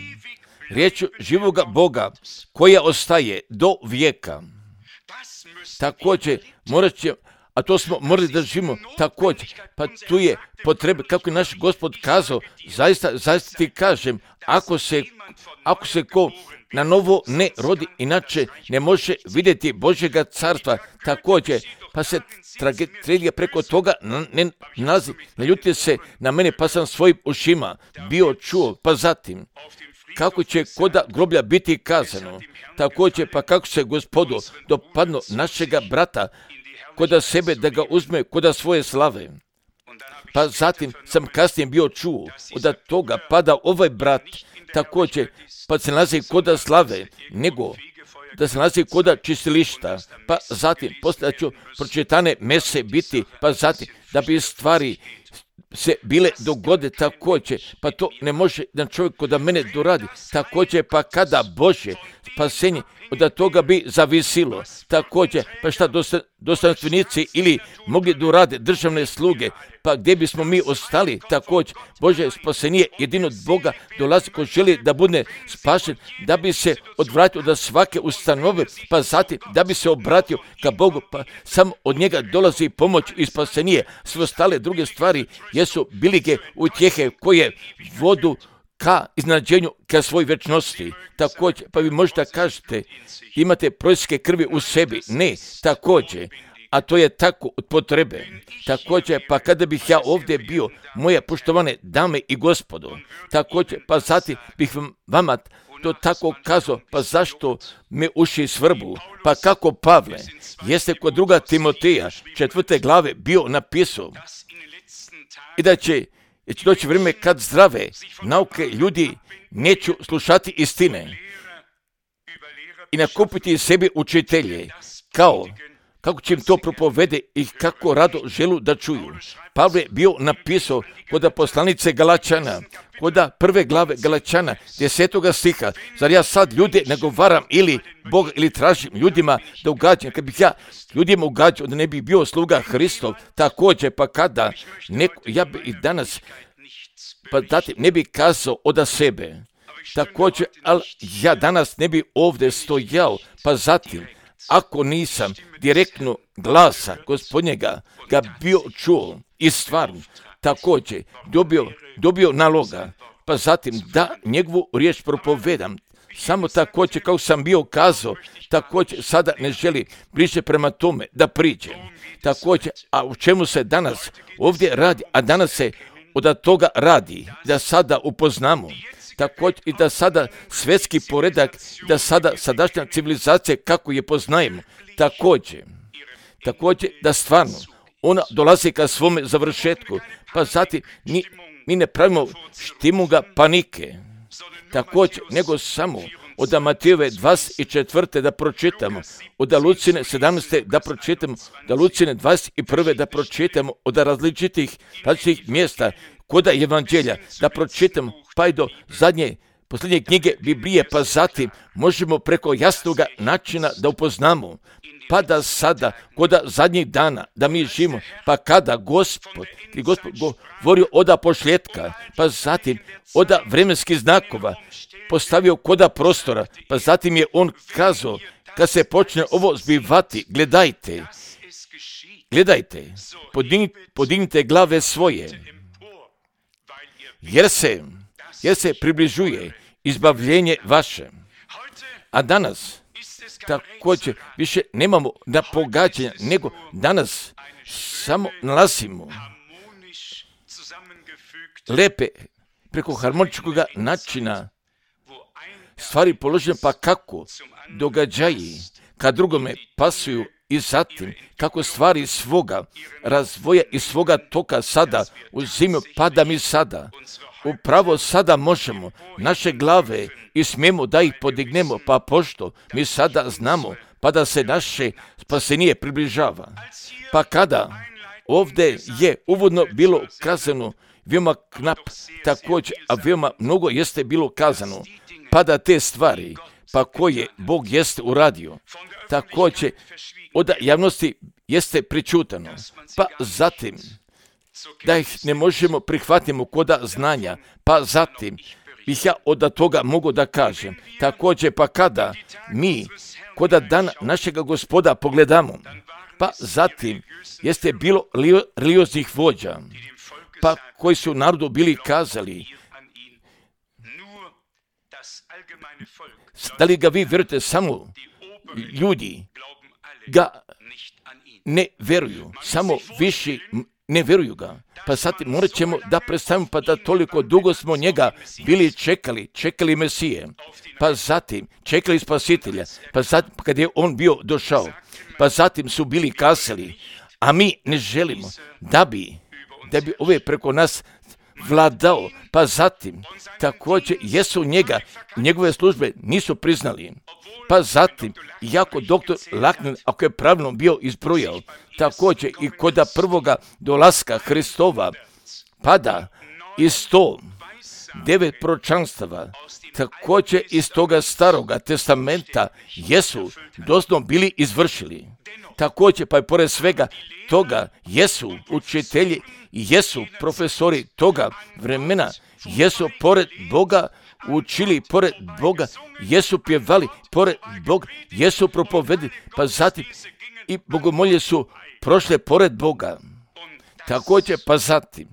riječju živoga Boga koja ostaje do vijeka. Također, morat će, a to smo morali da živimo također, pa tu je potrebe, kako je naš Gospod kazao, zaista, zaista ti kažem, ako se, ako se ko na novo ne rodi, inače ne može vidjeti Božjega carstva. Također, pa se tragedija preko toga ne nalazi. Ne ljutite se na mene, pa sam svojim ušima bio čuo, pa zatim kako će koda groblja biti kazano. Također, pa kako se Gospodu dopadno našega brata koda sebe da ga uzme koda svoje slave. Pa zatim sam kasnije bio čuo od toga pada ovaj brat također, pa se nalazi koda slave, nego da se nalazi koda čistilišta, pa zatim poslije ću pročitane mese biti, pa zatim da bi stvari se bile dogode također, pa to ne može jedan čovjek koda mene doradi, također pa kada Božje spasenje od toga bi zavisilo, također pa šta dostojanstvenici ili mogli dorade državne sluge, pa gdje bismo mi ostali, također Božje spasenje jedino od Boga dolazi ko želi da bude spašen, da bi se odvratio od svake ustanove, pa zatim da bi se obratio ka Bogu, pa samo od njega dolazi pomoć i spasenje. Sve ostale druge stvari jesu bilige utjehe koje vodu ka iznenađenju, ka svoj večnosti. Također, pa vi možete kažete, imate prorocke krvi u sebi. Ne, također, a to je tako od potrebe. Također, pa kada bih ja ovdje bio, moje poštovane dame i gospodo, također, pa zatim bih vama to tako kazao, pa zašto me uši svrbu, pa kako Pavle jeste kod druga Timoteja četvrte glave bio napisao i da će Jer će doći vrijeme kad zdrave nauke ljudi neću slušati istine i nakupiti sebi učitelje, kao kako će im to propovede i kako rado želu da čuju. Pavle je bio napisao kod poslanice Galačana, kod prve glave Galačana, desetoga stiha, zar ja sad ljude nagovaram ili Boga ili tražim ljudima da ugađam, kad bih ja ljudima ugađao da ne bih bio sluga Hristov, također pa kada neko, ja bi i danas, pa dati, ne bi kazao od sebe, također, ali ja danas ne bi ovdje stojao, pa zatim, ako nisam direktno glasa Gospodnjega ga bio čuo i stvarno također dobio, dobio naloga, pa zatim da njegovu riječ propovedam, samo također kao sam bio kazao, također sada ne želi bliže prema tome da priđe. Također, a u čemu se danas ovdje radi, a danas se od toga radi, da sada upoznamo, također i da sada svjetski poredak, da sada sadašnja civilizacija kako je poznajemo, također, također da stvarno ona dolazi ka svome završetku, pa zatim mi, mi ne pravimo štimuga panike, također, nego samo od Matejove dvadeset četvrte da pročitamo, od Lucine sedamnaeste da pročitamo, od Lucine dvadeset prve da pročitamo, od različitih, različitih mjesta kod evanđelja da pročitamo, pa i do zadnje posljednje knjige Biblije, pa zatim možemo preko jasnog načina da upoznamo, pa da sada, koda zadnjih dana, da mi živimo, pa kada Gospod, i Gospod govorio oda pošljetka, pa zatim oda vremenskih znakova, postavio koda prostora, pa zatim je on kazao, kad se počne ovo zbivati, gledajte, gledajte, podignite, podignite glave svoje, jer se, jer se približuje izbavljenje vaše. A danas, također, više nemamo na pogađanja, nego danas samo nalazimo lepe, preko harmoničkog načina stvari položene, pa kako događaji kad drugome pasuju i zatim kako stvari svoga razvoja i svoga toka sada uzimaju, pa da mi sada upravo sada možemo naše glave i smijemo da ih podignemo, pa pošto mi sada znamo, pa da se naše spasenje približava. Pa kada ovdje je uvodno bilo kazano, veoma knap također, a veoma mnogo jeste bilo kazano, pa da te stvari, pa koje Bog jeste uradio, također od javnosti jeste pričutano, pa zatim da ih ne možemo prihvatimo koda znanja, pa zatim bih ja od toga mogu da kažem, također pa kada mi koda dana našega Gospoda pogledamo, pa zatim jeste bilo religioznih vođa, pa koji su narodu bili kazali, da li ga vi vjerujete, samo ljudi ga ne vjeruju, samo viši ne vjeruju ga. Pa sad morat ćemo da predstavimo, pa da toliko dugo smo njega bili čekali, čekali Mesije, pa zatim čekali Spasitelja, pa zatim kad je on bio došao, pa zatim su bili kasali, a mi ne želimo da bi, da bi ove preko nas vladao, pa zatim također jesu njega, njegove službe nisu priznali, pa zatim iako doktor Lakner, ako je pravilno bio izbrojao, također i kod prvoga dolaska Hristova, pada iz sto devet proročanstava, također iz toga staroga testamenta jesu doslovno bili izvršili. Također pa i pored svega toga jesu učitelji i jesu profesori toga vremena, jesu pored Boga učili, pored Boga jesu pjevali, pored Boga jesu propovedili, pa zatim i bogomolje su prošle pored Boga. Također pa zatim,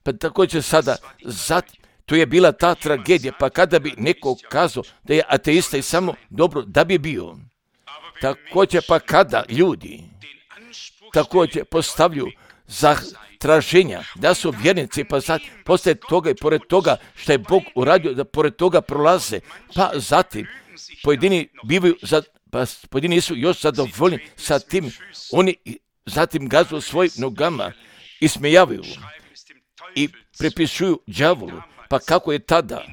pa također sada, zatim, to je bila ta tragedija, pa kada bi neko kazao da je ateista i samo dobro da bi bio. Također pa kada ljudi također postavljaju za traženja da su vjernici, pa sad poslije toga i pored toga što je Bog uradio, da pored toga prolaze, pa zatim pojedini bivaju, za, pa pojedini su još zadovoljni sa tim, oni zatim gazu svojim nogama i smijavaju i prepisuju đavolu, pa kako je tada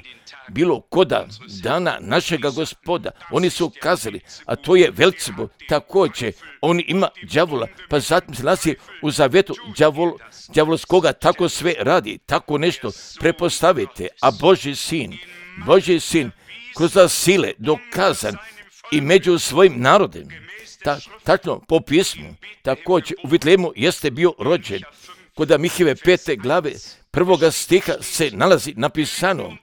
bilo koda dana našega Gospoda, oni su kazali, a to je Velcebul, također, on ima đavola, pa zatim se nalazi u zavjetu đavol, đavolskoga, tako sve radi, tako nešto prepostavite, a Božji sin, Božji sin, kroz sile dokazan i među svojim narodem, ta, tačno po pismu, također u Vitlemu jeste bio rođen, kod Mihijeve pete glave prvoga stiha se nalazi napisano,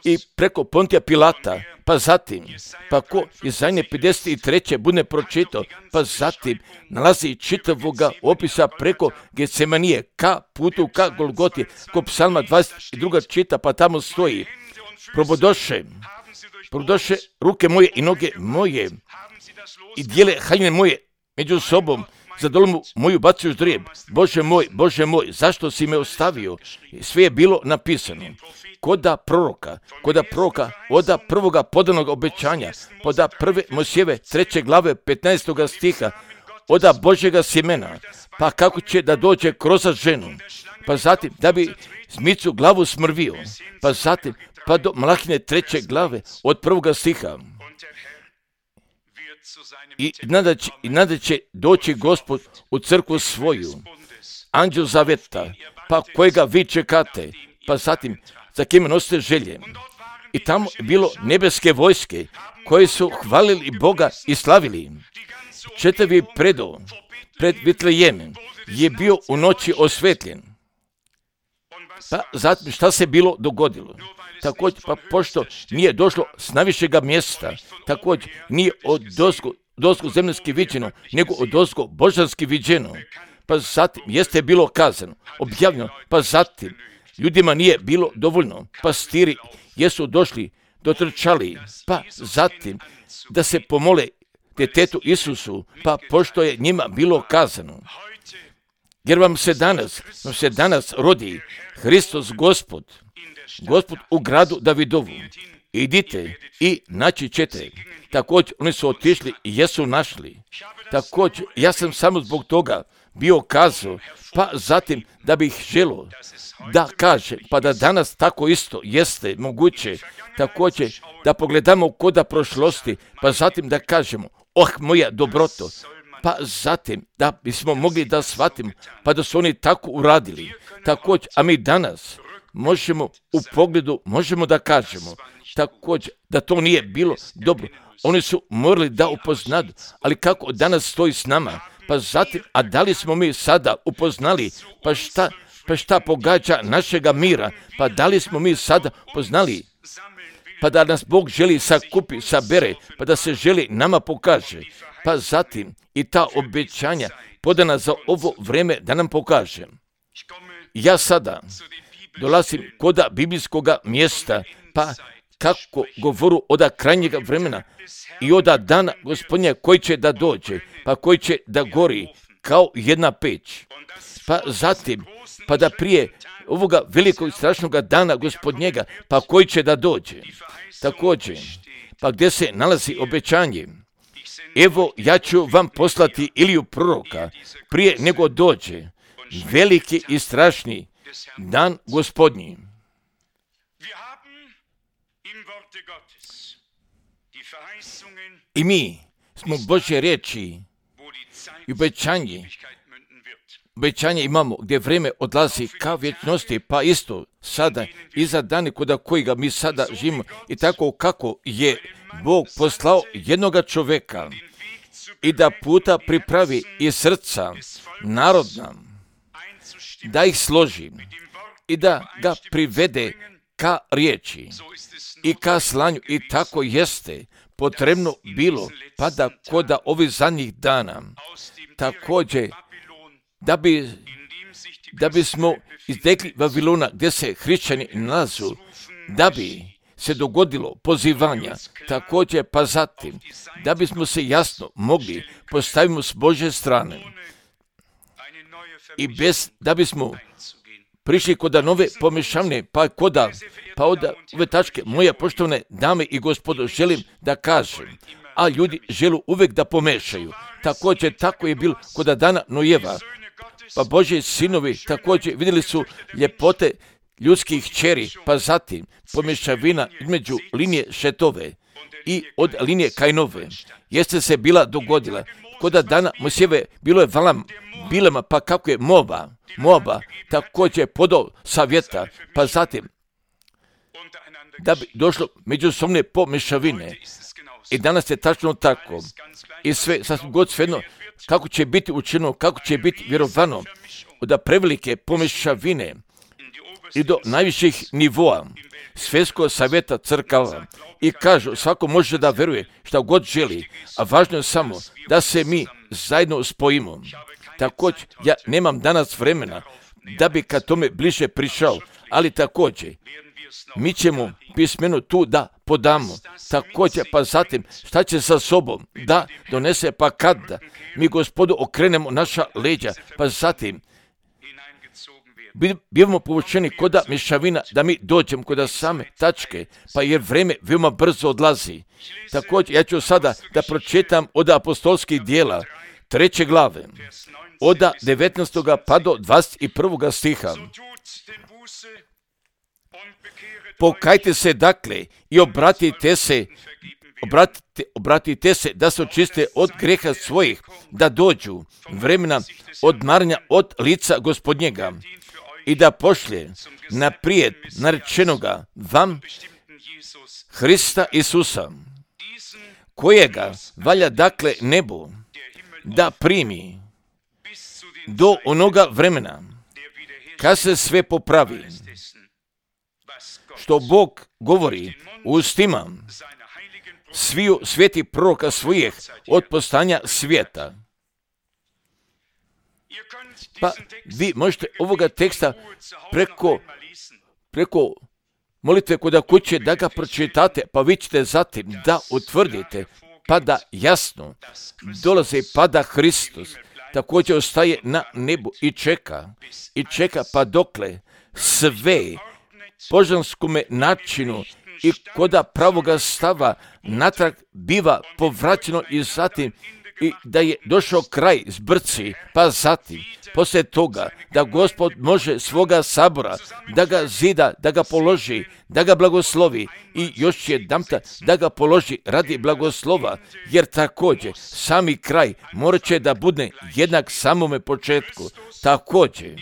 i preko Pontija Pilata, pa zatim, pa ko Izaije pedeset treće bude pročitao, pa zatim nalazi čitavoga opisa preko Getsemanije, ka putu, ka Golgoti, ko Psalma dvadeset dva čita, pa tamo stoji, probodoše, probodoše ruke moje i noge moje i dijele haljine moje među sobom, za dolomu moju bacuju ždrijeb. Bože moj, Bože moj, zašto si me ostavio? Sve je bilo napisano. Koda proroka, koda proroka, oda prvoga podanog obećanja, poda prve Mojsijeve treće glave petnaestoga stiha, oda Božjega sjemena, pa kako će da dođe kroz ženu, pa zatim da bi zmicu glavu smrvio, pa zatim pa do Malahine treće glave od prvoga stiha. I nada će, i nada će doći Gospod u crkvu svoju, anđel zaveta, pa kojega vi čekate, pa zatim za kime nosite želje. I tamo je bilo nebeske vojske koje su hvalili Boga i slavili. Čitavi predov pred Vitlejemom je bio u noći osvetljen. Pa zatim šta se bilo dogodilo? Također, pa pošto nije došlo s najvišega mjesta, također nije od dozgo, dozgo zemljski viđeno, nego od dozgo božanski viđeno. Pa zatim jeste bilo kazano, objavljeno, pa zatim ljudima nije bilo dovoljno. Pastiri jesu došli, dotrčali, pa zatim da se pomole djetetu Isusu, pa pošto je njima bilo kazano. Jer vam se danas, vam se danas rodi Hristos Gospod, Gospod u gradu Davidovu. Idite i naći ćete. Također oni su otišli i jesu našli. Također ja sam samo zbog toga bio kazao, pa zatim da bih želio da kaže, pa da danas tako isto jeste moguće, također da pogledamo koda prošlosti, pa zatim da kažemo, oh moja dobroto, pa zatim da bismo mogli da shvatimo, pa da su oni tako uradili. Također, a mi danas možemo u pogledu, možemo da kažemo, također da to nije bilo dobro. Oni su morali da upoznadu, ali kako danas stoji s nama, pa zatim, a da li smo mi sada upoznali, pa šta, pa šta pogađa našega mira, pa da li smo mi sada poznali, pa da nas Bog želi sakupi, sabere, pa da se želi nama pokaže, pa zatim i ta obećanja podana za ovo vreme da nam pokaže. Ja sada dolazim koda biblijskoga mjesta, pa kako govoru oda krajnjega vremena i oda dana Gospodnja koji će da dođe, pa koji će da gori kao jedna peć. Pa zatim, pa da prije ovoga velikog i strašnog dana Gospodnjega, pa koji će da dođe. Također, pa gdje se nalazi obećanje? Evo, ja ću vam poslati Iliju proroka prije nego dođe veliki i strašni dan Gospodnji. I mi smo Božje riječi i obećanje, obećanje imamo gdje vreme odlazi ka vječnosti, pa isto sada i za dane koda kojega mi sada živimo i tako kako je Bog poslao jednoga čoveka i da puta pripravi i srca narodna, da ih složi i da ga privede ka riječi i ka slanju i tako jeste potrebno bilo, pa da koda ovih zadnjih dana također da bi da bismo iztekli Vavilona gdje se hrišćani nalazu, da bi se dogodilo pozivanja, također pa zatim da bismo se jasno mogli postavimo s Božje strane i bez da bismo prišli koda nove pomešavne, pa koda, pa od ove tačke, moje poštovane dame i gospodo, želim da kažem, a ljudi želu uvek da pomešaju. Također, tako je bilo koda dana Nojeva, pa Božji sinovi također vidjeli su ljepote ljudskih kćeri, pa zatim pomešavina između linije Šetove i od linije Kainove. Jeste se bila dogodila, koda dana Mojsijeve bilo je valam bilema, pa kako je Moaba, Moaba također podao savjeta, pa zatim da bi došlo međusobne pomešavine. I danas je tačno tako. I sve, sasvim god svejedno, kako će biti učinjeno, kako će biti vjerovano, od prevelike pomešavine i do najviših nivoa svjetskog savjeta crkava. I kažu, svako može da veruje šta god želi, a važno je samo da se mi zajedno spojimo. Također, ja nemam danas vremena da bi ka tome bliže prišao, ali također, mi ćemo pismeno tu da podamo. Također, pa zatim, šta će sa sobom da donese, pa kada mi Gospodu okrenemo naša leđa, pa zatim, bivamo povučeni koda mješavina da mi dođemo koda same tačke, pa jer vreme veoma brzo odlazi. Također, ja ću sada da pročitam od apostolskih dijela, treće glave, od devetnaestog pa do dvadeset prvog stiha. Pokajte se dakle i obratite se, obratite, obratite se da se očiste od greha svojih, da dođu vremena odmaranja od lica Gospodnjega i da pošlje naprijed narečenoga vam Hrista Isusa, kojega valja dakle nebu da primi do onoga vremena kad se sve popravi, što Bog govori u ustima sviju svetih proroka svojih od postanja svijeta. Pa vi možete ovoga teksta preko, preko molitve kod kuće da ga pročitate, pa vi ćete zatim da utvrdite, pa da jasno dolazi, pa da Hristos također ostaje na nebu i čeka, i čeka pa dokle sve božanskome načinu i koda pravoga stava natrag biva povraćeno i zatim i da je došao kraj zbrci, pa zatim, poslije toga, da Gospod može svoga sabora, da ga zida, da ga položi, da ga blagoslovi i još jedanputa da ga položi radi blagoslova, jer također sami kraj morat će da bude jednak samome početku. Također,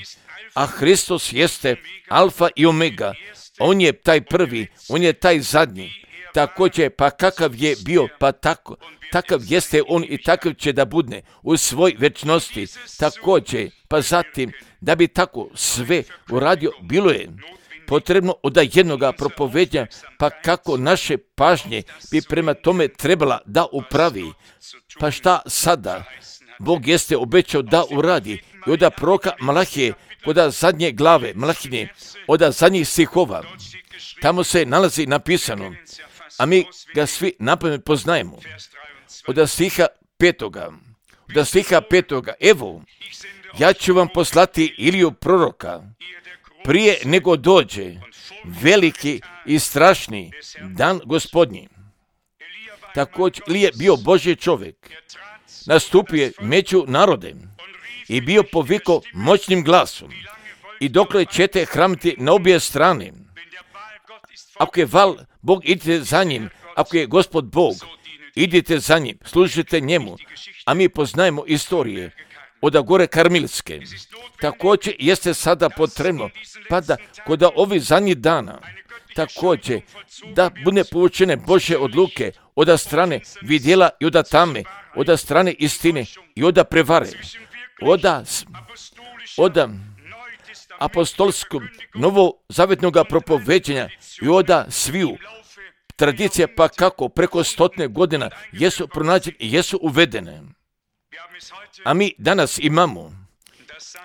a Hristos jeste alfa i omega, on je taj prvi, on je taj zadnji. Također, pa kakav je bio, pa tako, takav jeste on i takav će da bude u svoj večnosti. Također, pa zatim, da bi tako sve uradio, bilo je potrebno od jednoga propovednja, pa kako naše pažnje bi prema tome trebala da upravi. Pa šta sada? Bog jeste obećao da uradi i od proroka Malahije, od zadnje glave Malahije, od zadnjih stihova, tamo se nalazi napisano, a mi ga svi napamet poznajemo. Od stiha petoga, od stiha petoga, evo, ja ću vam poslati Iliju proroka, prije nego dođe veliki i strašni dan Gospodnji. Također, Ilija bio Božji čovjek, nastupio je među narodem i bio poviko moćnim glasom. I dokle ćete hramiti na obje strane, ako je val Bog, idite za njim, ako je Gospod Bog, idite za njim, služite njemu. A mi poznajemo istorije od gore Karmilske. Također jeste sada potrebno, pa da kod ovih zadnjih dana, također da bude povučene Božje odluke od strane vidjela i od tame, od strane istine i od prevare, od, od apostolskog novozavetnog propoveđenja i od sviju tradicija, pa kako preko stotine godina jesu pronađene i jesu uvedene. A mi danas imamo,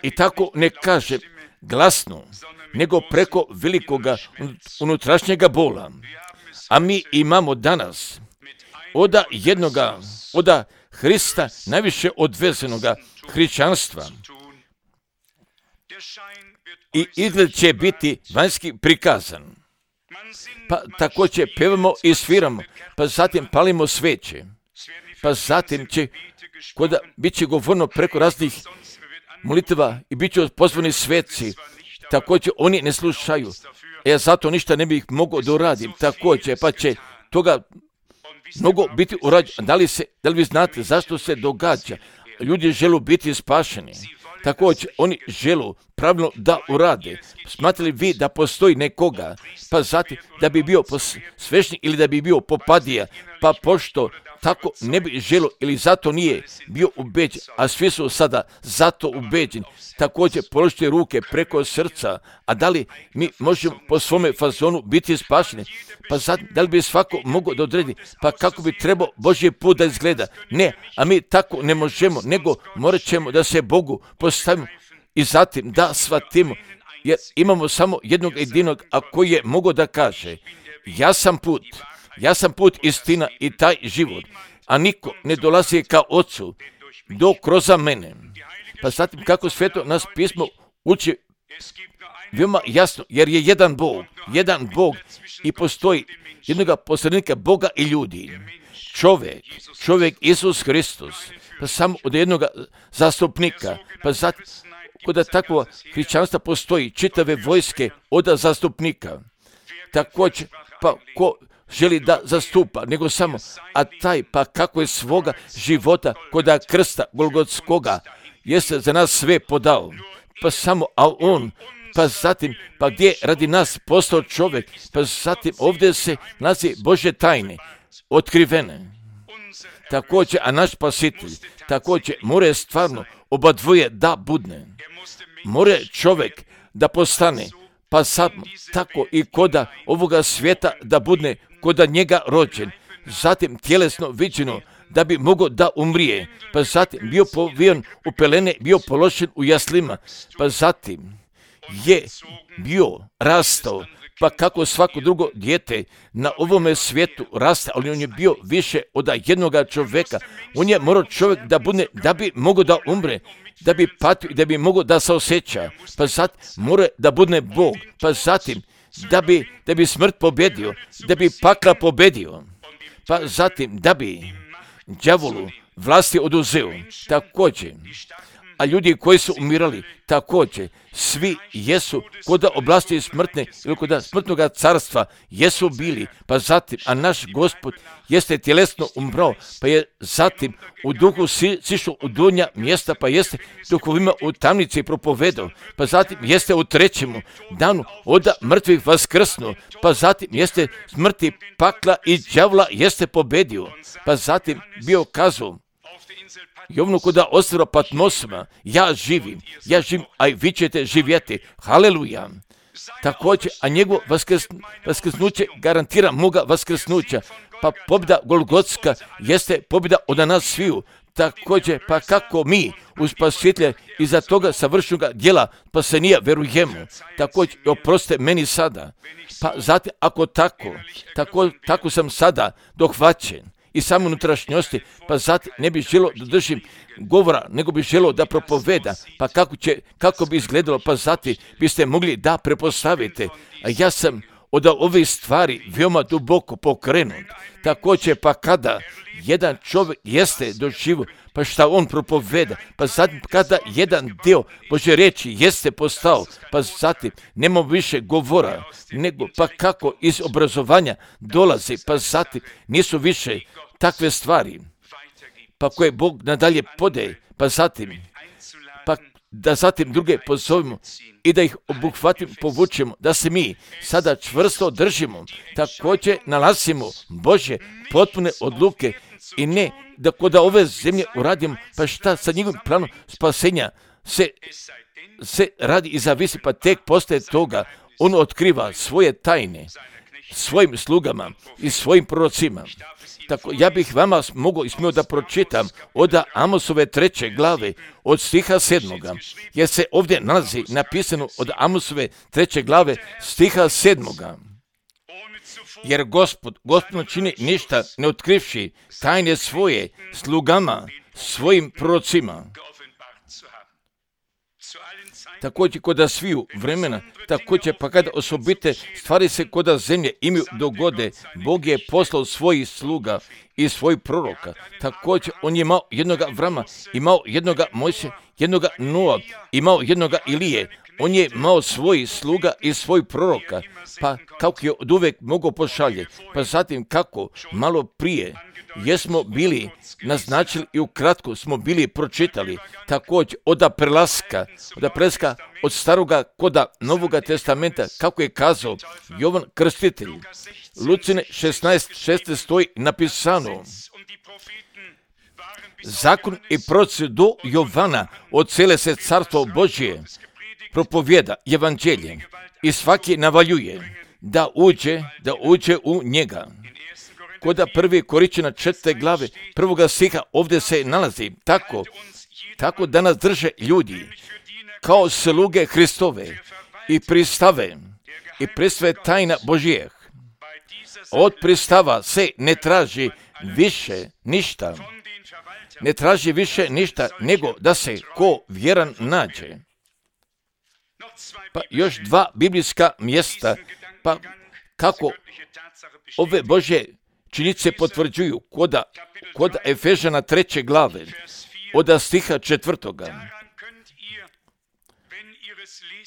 i tako ne kaže glasno, nego preko velikoga unutrašnjega bola. A mi imamo danas od jednoga, od Hrista najviše odvezenoga hrišćanstva. I izgled će biti vanjski prikazan. Pa također pevamo i sviramo, pa zatim palimo sveće. Pa zatim će, koda bit će govorno preko raznih molitva i bit će pozvani sveci. Također oni ne slušaju. Ja zato ništa ne bih mogao da uradim. Također, pa će toga mnogo biti urađeno. Da li, se, da li vi znate zašto se događa? Ljudi žele biti spašeni. Također, oni žele pravilno da urade. Smatrali vi da postoji nekoga, pa zatim da bi bio svešnik ili da bi bio popadija, pa pošto tako ne bi želo ili zato nije bio ubeđen, a svi su sada zato ubeđeni. Također položite ruke preko srca, a da li mi možemo po svome fazonu biti spašeni? Pa zatim, da li bi svako mogao da odredi, pa kako bi trebao Božji put da izgleda? Ne, a mi tako ne možemo, nego morat ćemo da se Bogu postavimo i zatim da shvatimo, jer imamo samo jednog jedinog, a koji je mogao da kaže, ja sam put, ja sam put, istina i taj život, a niko ne dolazi ka Ocu do kroz mene. Pa zatim kako sveto nas pismo uči veoma jasno, jer je jedan Bog, jedan Bog i postoji jednoga posrednika Boga i ljudi. Čovjek, čovjek Isus Hristos, pa samo od jednoga zastupnika, pa zatim kod takvog hrišćanstva postoji čitave vojske od zastupnika. Također, pa ko želi da zastupa, nego samo, a taj pa kako je svoga života kod krsta Golgotskoga jeste za nas sve podao. Pa samo, a on pa zatim, pa gdje radi nas postao čovjek, pa zatim ovdje se nalazi Božje tajne, otkrivene. Također, a naš spasitelj, također, more stvarno oba dvoje da budne. More čovjek da postane, pa sad tako i koda ovoga svijeta da budne koda njega rođen, zatim tjelesno viđeno da bi mogao da umrije, pa zatim bio povijen u pelene, bio položen u jaslima, pa zatim je bio rastao, pa kako svako drugo dijete na ovome svijetu raste, ali on je bio više od jednoga čovjeka. On je morao čovjek da bude, da bi mogao da umre, da bi patio i da bi mogao da se osjeća, pa zatim mora da bude Bog, pa zatim da bi, da bi smrt pobedio, da bi pakla pobedio, pa zatim da bi đavolu vlasti oduzeo, također. A ljudi koji su umirali, također, svi jesu kod oblasti smrtne ili kod smrtnog carstva jesu bili, pa zatim, a naš Gospod jeste tjelesno umrao, pa je zatim u duhu si, sišao u donja mjesta, pa jeste duhovima u tamnici propovedao, pa zatim jeste u trećemu danu od mrtvih vaskrsnuo, pa zatim jeste smrti pakla i đavla jeste pobedio, pa zatim bio kazao Jovnu koda ostrva Patmosima, ja živim, ja živim, a i vi ćete živjeti. Haleluja. Također, a njegovo vaskrs, vaskrsnuće garantira moga vaskrsnuća, pa pobjeda Golgotska jeste pobjeda od nas sviju. Također, pa kako mi u spasitelja iza toga savršenog djela spasenija verujemo, također oprostite meni sada. Pa zatim, ako tako, tako, tako sam sada dohvaćen i samo unutrašnjosti, pa zatim ne bi želio da držim govora, nego bi želio da propoveda, pa kako, će, kako bi izgledalo, pa zatim biste mogli da prepostavite. A ja sam od ove stvari veoma duboko pokrenut. Također, pa kada jedan čovjek jeste doživio, pa šta on propoveda, pa zatim kada jedan dio Božje riječi jeste postao, pa zatim nema više govora, nego pa kako iz obrazovanja dolazi, pa zatim nisu više takve stvari, pa koje Bog nadalje podaje, pa zatim, pa da zatim druge pozovemo i da ih obuhvatim, povučemo, da se mi sada čvrsto držimo, također nalazimo Božje potpune odluke i ne da kod ove zemlje uradimo, pa šta sa njegovim planom spasenja se, se radi i zavisi, pa tek postaje toga, on otkriva svoje tajne svojim slugama i svojim prorocima. Tako, ja bih vama mogao i smio da pročitam od Amosove treće glave, od stiha sedmoga, jer se ovdje nalazi napisano od Amosove treće glave, stiha sedmoga. Jer Gospod, Gospod čini ništa ne otkrivši tajne svoje slugama, svojim prorocima. Također koda sviju vremena, također pa kada osobite stvari se koda zemlje imaju dogode, Bog je poslao svojih sluga i svojih proroka. Također on je imao jednoga Avrama, imao jednoga Mojse, jednoga Noa, imao jednoga Ilije. On je imao svojih sluga i svojih proroka, pa kako je od uvek mogao pošalje, pa zatim kako malo prije jesmo bili naznačili i ukratko smo bili pročitali, također od prelaska, od prelaska od staroga koda Novoga testamenta, kako je kazao Jovan Krstitelj. Lucine šesnaest šesnaest stoji napisano: zakon i proroci do Jovana od cele se carstvo Božje propovjeda evanđelje i svaki navaljuje da uđe, da uđe u njega. Koda prvi Korinćana četvrte glave prvoga stiha ovdje se nalazi tako, tako da nas drže ljudi kao sluge Hristove i pristave i pristave tajna Božijeh. Od pristava se ne traži više ništa, ne traži više ništa nego da se ko vjeran nađe. Pa još dva biblijska mjesta, pa kako ove Božje činjenice potvrđuju koda, koda Efežana treće glave, od stiha četvrtoga.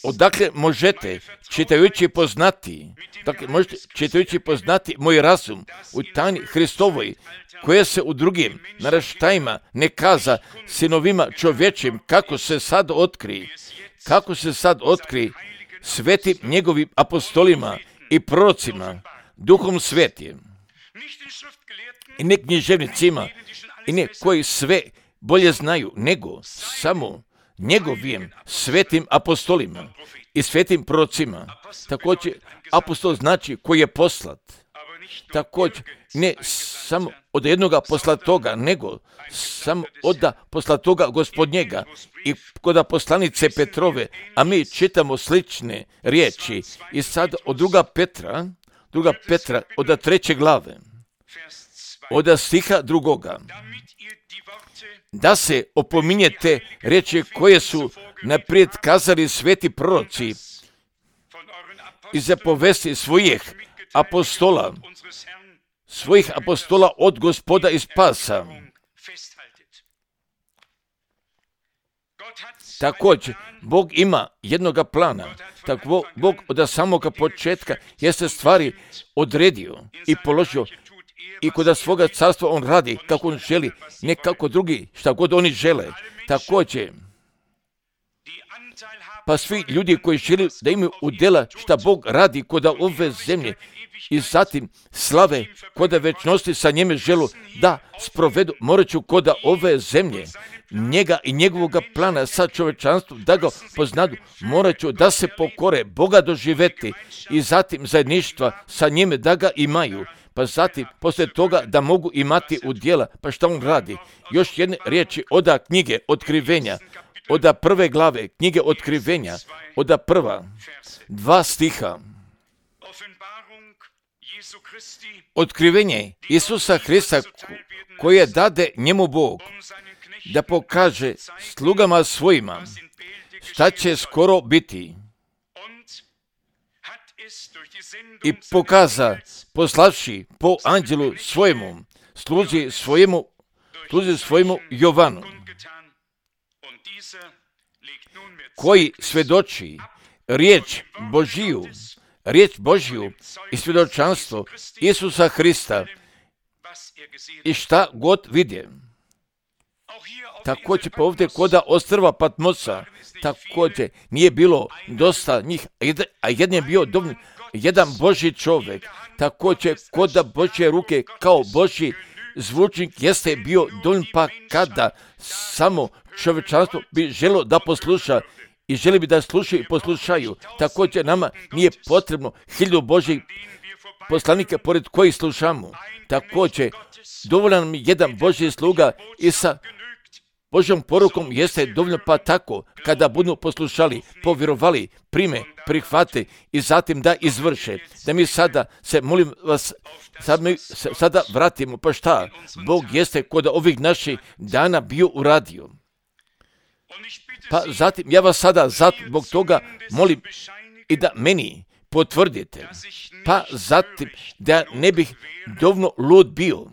Odakle možete, čitajući poznati, dakle možete čitajući poznati moj razum u tajni Hristovoj, koje se u drugim naraštajima ne kaza sinovima čovječim, kako se sad otkri, kako se sad otkri svetim njegovim apostolima i prorocima, duhom svetim, i ne književnicima, i ne koji sve bolje znaju, nego samo njegovim svetim apostolima i svetim prorocima. Također, apostol znači koji je poslat. Također, ne samo od jednoga poslatoga, nego samo od poslatoga gospodnjega i kod poslanice Petrove, a mi čitamo slične riječi. I sad od druga Petra, druga Petra, od treće glave, od stiha drugoga, da se opominjete riječi koje su naprijed kazali sveti proroci i zapovesti svojih apostola, svojih apostola od Gospoda i spasa. Također, Bog ima jednoga plana. Tako Bog od samoga početka jeste stvari odredio i položio i kod svoga carstva on radi kako on želi, ne kako drugi, šta god oni žele. Također, pa svi ljudi koji žele da imaju udjela šta Bog radi kod ove zemlje i zatim slave kod večnosti sa njeme želu da sprovedu, morat ću kod ove zemlje njega i njegovog plana sa čovečanstvom da ga poznadu, morat ću da se pokore, Boga doživeti i zatim zajedništva sa njime da ga imaju. Pa zatim, poslije toga da mogu imati udjela, pa šta on radi? Još jedne riječi od knjige Otkrivenja, od prve glave knjige Otkrivenja, od prva, dva stiha. Otkrivenje Isusa Hrista koje dade njemu Bog, da pokaže slugama svojima šta će skoro biti. I pokaza, poslavši po anđelu svojemu, sluzi svojemu, sluzi svojemu Jovanu, koji svjedoči riječ Božiju, riječ Božiju i svjedočanstvo Isusa Hrista i šta god vidje. Također pa ovdje koda ostrva Patmosa, također nije bilo dosta njih, a jedan je bio dovoljno, jedan Božji čovjek, također koda Božje ruke kao Božji zvučnik jeste bio dovoljno, pa kada samo čovječanstvo bi želo da posluša i želi bi da slušaju i poslušaju. Također nama nije potrebno hiljadu Božjih poslanika pored kojih slušamo. Također dovoljan nam jedan Božji sluga i sa Božjom porukom jeste dovoljno, pa tako kada budu poslušali, povjerovali, prime, prihvate i zatim da izvrše. Da mi sada se, molim vas, sad mi se, sada vratimo, pa šta? Bog jeste kod ovih naših dana bio uradio. Pa zatim ja vas sada zbog toga molim i da meni potvrdite. Pa zatim da ne bih dovoljno lud bio.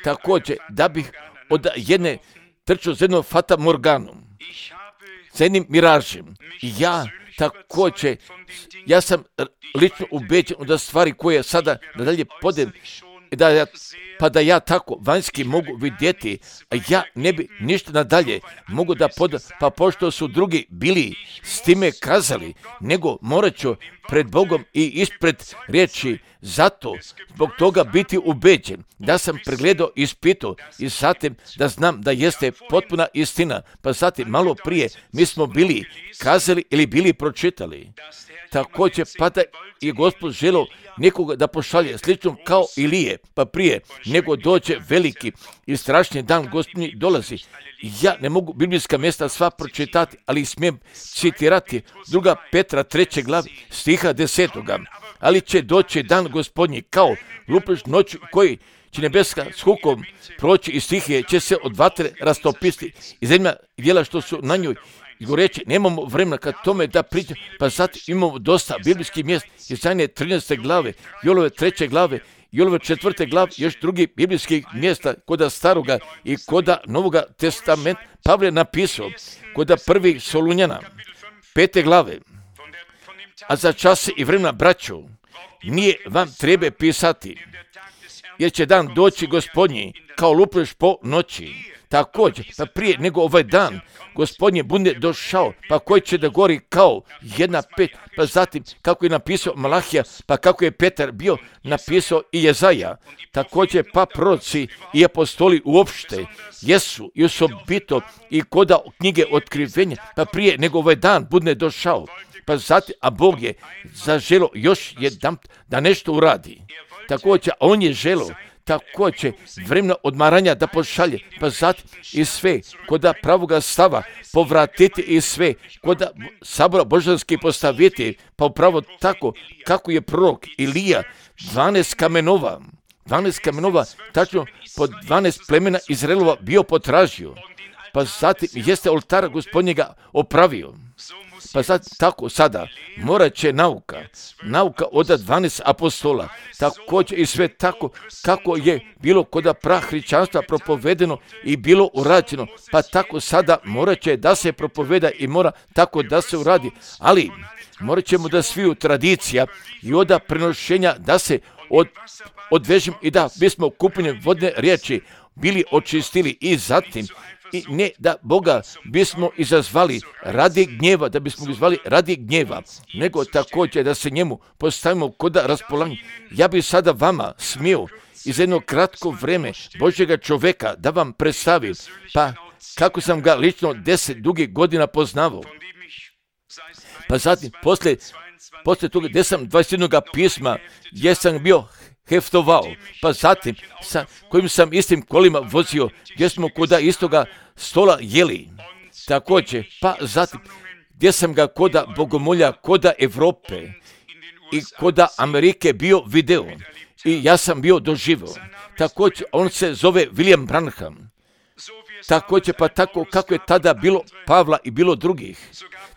Također da bih od jedne trčao za jednom Fata Morganom, za jednim miražem. Ja također, ja sam lično ubeđen da stvari koje sada nadalje podem, da ja, pa da ja tako vanjski mogu vidjeti, a ja ne bi ništa nadalje mogu da podam, pa pošto su drugi bili s time kazali, nego morat ću pred Bogom i ispred riječi, zato zbog toga biti ubeđen, da sam pregledao i ispitao i zatim da znam da jeste potpuna istina, pa zatim malo prije mi smo bili kazali ili bili pročitali. Također pa da je Gospod želio nekoga da pošalje slično kao Ilije, pa prije nego dođe veliki i strašni dan Gospodnji dolazi. Ja ne mogu biblijska mjesta sva pročitati, ali smijem citirati druga Petra treće glavi stiha desetoga. Ali će doći dan Gospodnji kao lupež noć koji će nebeska s hukom proći i stihije će se od vatre rastopiti i zemlja dijela što su na njoj i goreći, nemamo vremena kad tome da pričam, pa sad imamo dosta biblijskih mjesta, Jesaje trinaeste glave, Jolove treće glave, Jolove četvrte glave, još drugih biblijskih mjesta koda staroga i koda novoga testamenta. Pavle napisao koda prvih Solunjana, pete glave, a za čase i vremena braćo, nije vam treba pisati, jer će dan doći Gospodnji kao lupež po noći. Također, pa prije nego ovaj dan Gospodnje bude došao, pa koji će da gori kao jedna pet, pa zatim kako je napisao Malahija, pa kako je Petar bio napisao i Jezaja. Također pa proroci i apostoli uopšte jesu i osobito i koda knjige otkrivenja, pa prije nego ovaj dan bude došao. Pa zatim, a Bog je zaželo još jedan da nešto uradi. Također, on je želo također vremena odmaranja da pošalje, pa zatim i sve koda pravoga stava povratiti i sve koda sabora božanski postaviti, pa upravo tako kako je prorok Ilija dvanaest kamenova, dvanaest kamenova, tačno po dvanaest plemena Izraelova bio potražio, pa zatim jeste oltara Gospodnjega opravio. Pa sad, tako sada morat će nauka, nauka od dvanaest apostola, također i sve tako kako je bilo koda prahrišćanstva propovedeno i bilo urađeno, pa tako sada morat će da se propoveda i mora tako da se uradi, ali morat ćemo da sviju tradicija i od prenošenja da se od, odvežimo i da bismo kupljenjem vodne riječi bili očistili i zatim i ne da Boga bismo izazvali radi gnjeva, da bismo izvali radi gnjeva, nego također da se njemu postavimo koda raspolaganja. Ja bih sada vama smio iz jedno kratko vreme Božjega čoveka da vam predstavim, pa kako sam ga lično deset dugih godina poznavao. Pa zatim, poslije, poslije toga gdje sam dvadeset jednog pisma, gdje sam bio heftovao, pa zatim sa kojim sam istim kolima vozio, gdje smo koda istoga stola jeli. Također, pa zatim gdje sam ga koda bogomolja, koda Evrope i koda Amerike bio video i ja sam bio doživio. Također, on se zove William Branham. Također, pa tako kako je tada bilo Pavla i bilo drugih.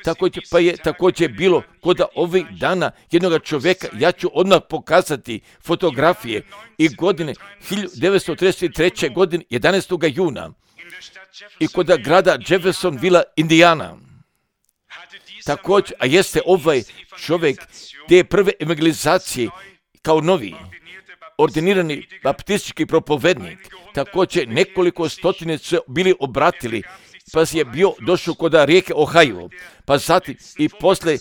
Također, pa je također bilo koda ovih dana jednog čovjeka, ja ću odmah pokazati fotografije i godine hiljadu devetsto trideset treće godine jedanaestog juna i koda grada Jeffersonville, Indijana. Također, a jeste ovaj čovjek te prve evangelizacije kao novi ordinirani baptistički propovednik. Također nekoliko stotine su bili obratili, pa je bio došao kod rijeke Ohio, pa zatim i posle,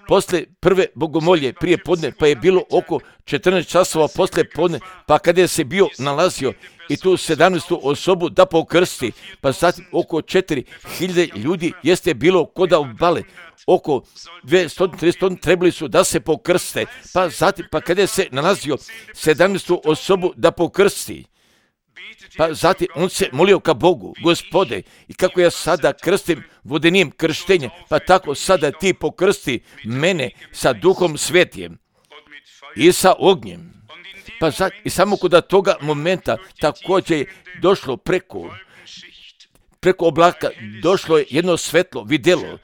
posle prve bogomolje prije podne, pa je bilo oko četrnaest časova posle podne, pa kada je se bio nalazio i tu sedamnaestu osobu da pokrsti, pa zatim oko četiri hiljade ljudi jeste bilo koda obale, oko dvjesto trideset trebali su da se pokrste, pa zatim, pa kada je se nalazio sedamnaestu osobu da pokrsti, pa zatim on se molio ka Bogu, Gospode, i kako ja sada krstim vodenim krštenjem, pa tako sada ti pokrsti mene sa Duhom Svetijem i sa ognjem. Pa zatim, i samo kod toga momenta također je došlo preko, preko oblaka, došlo je jedno svetlo, vidjelo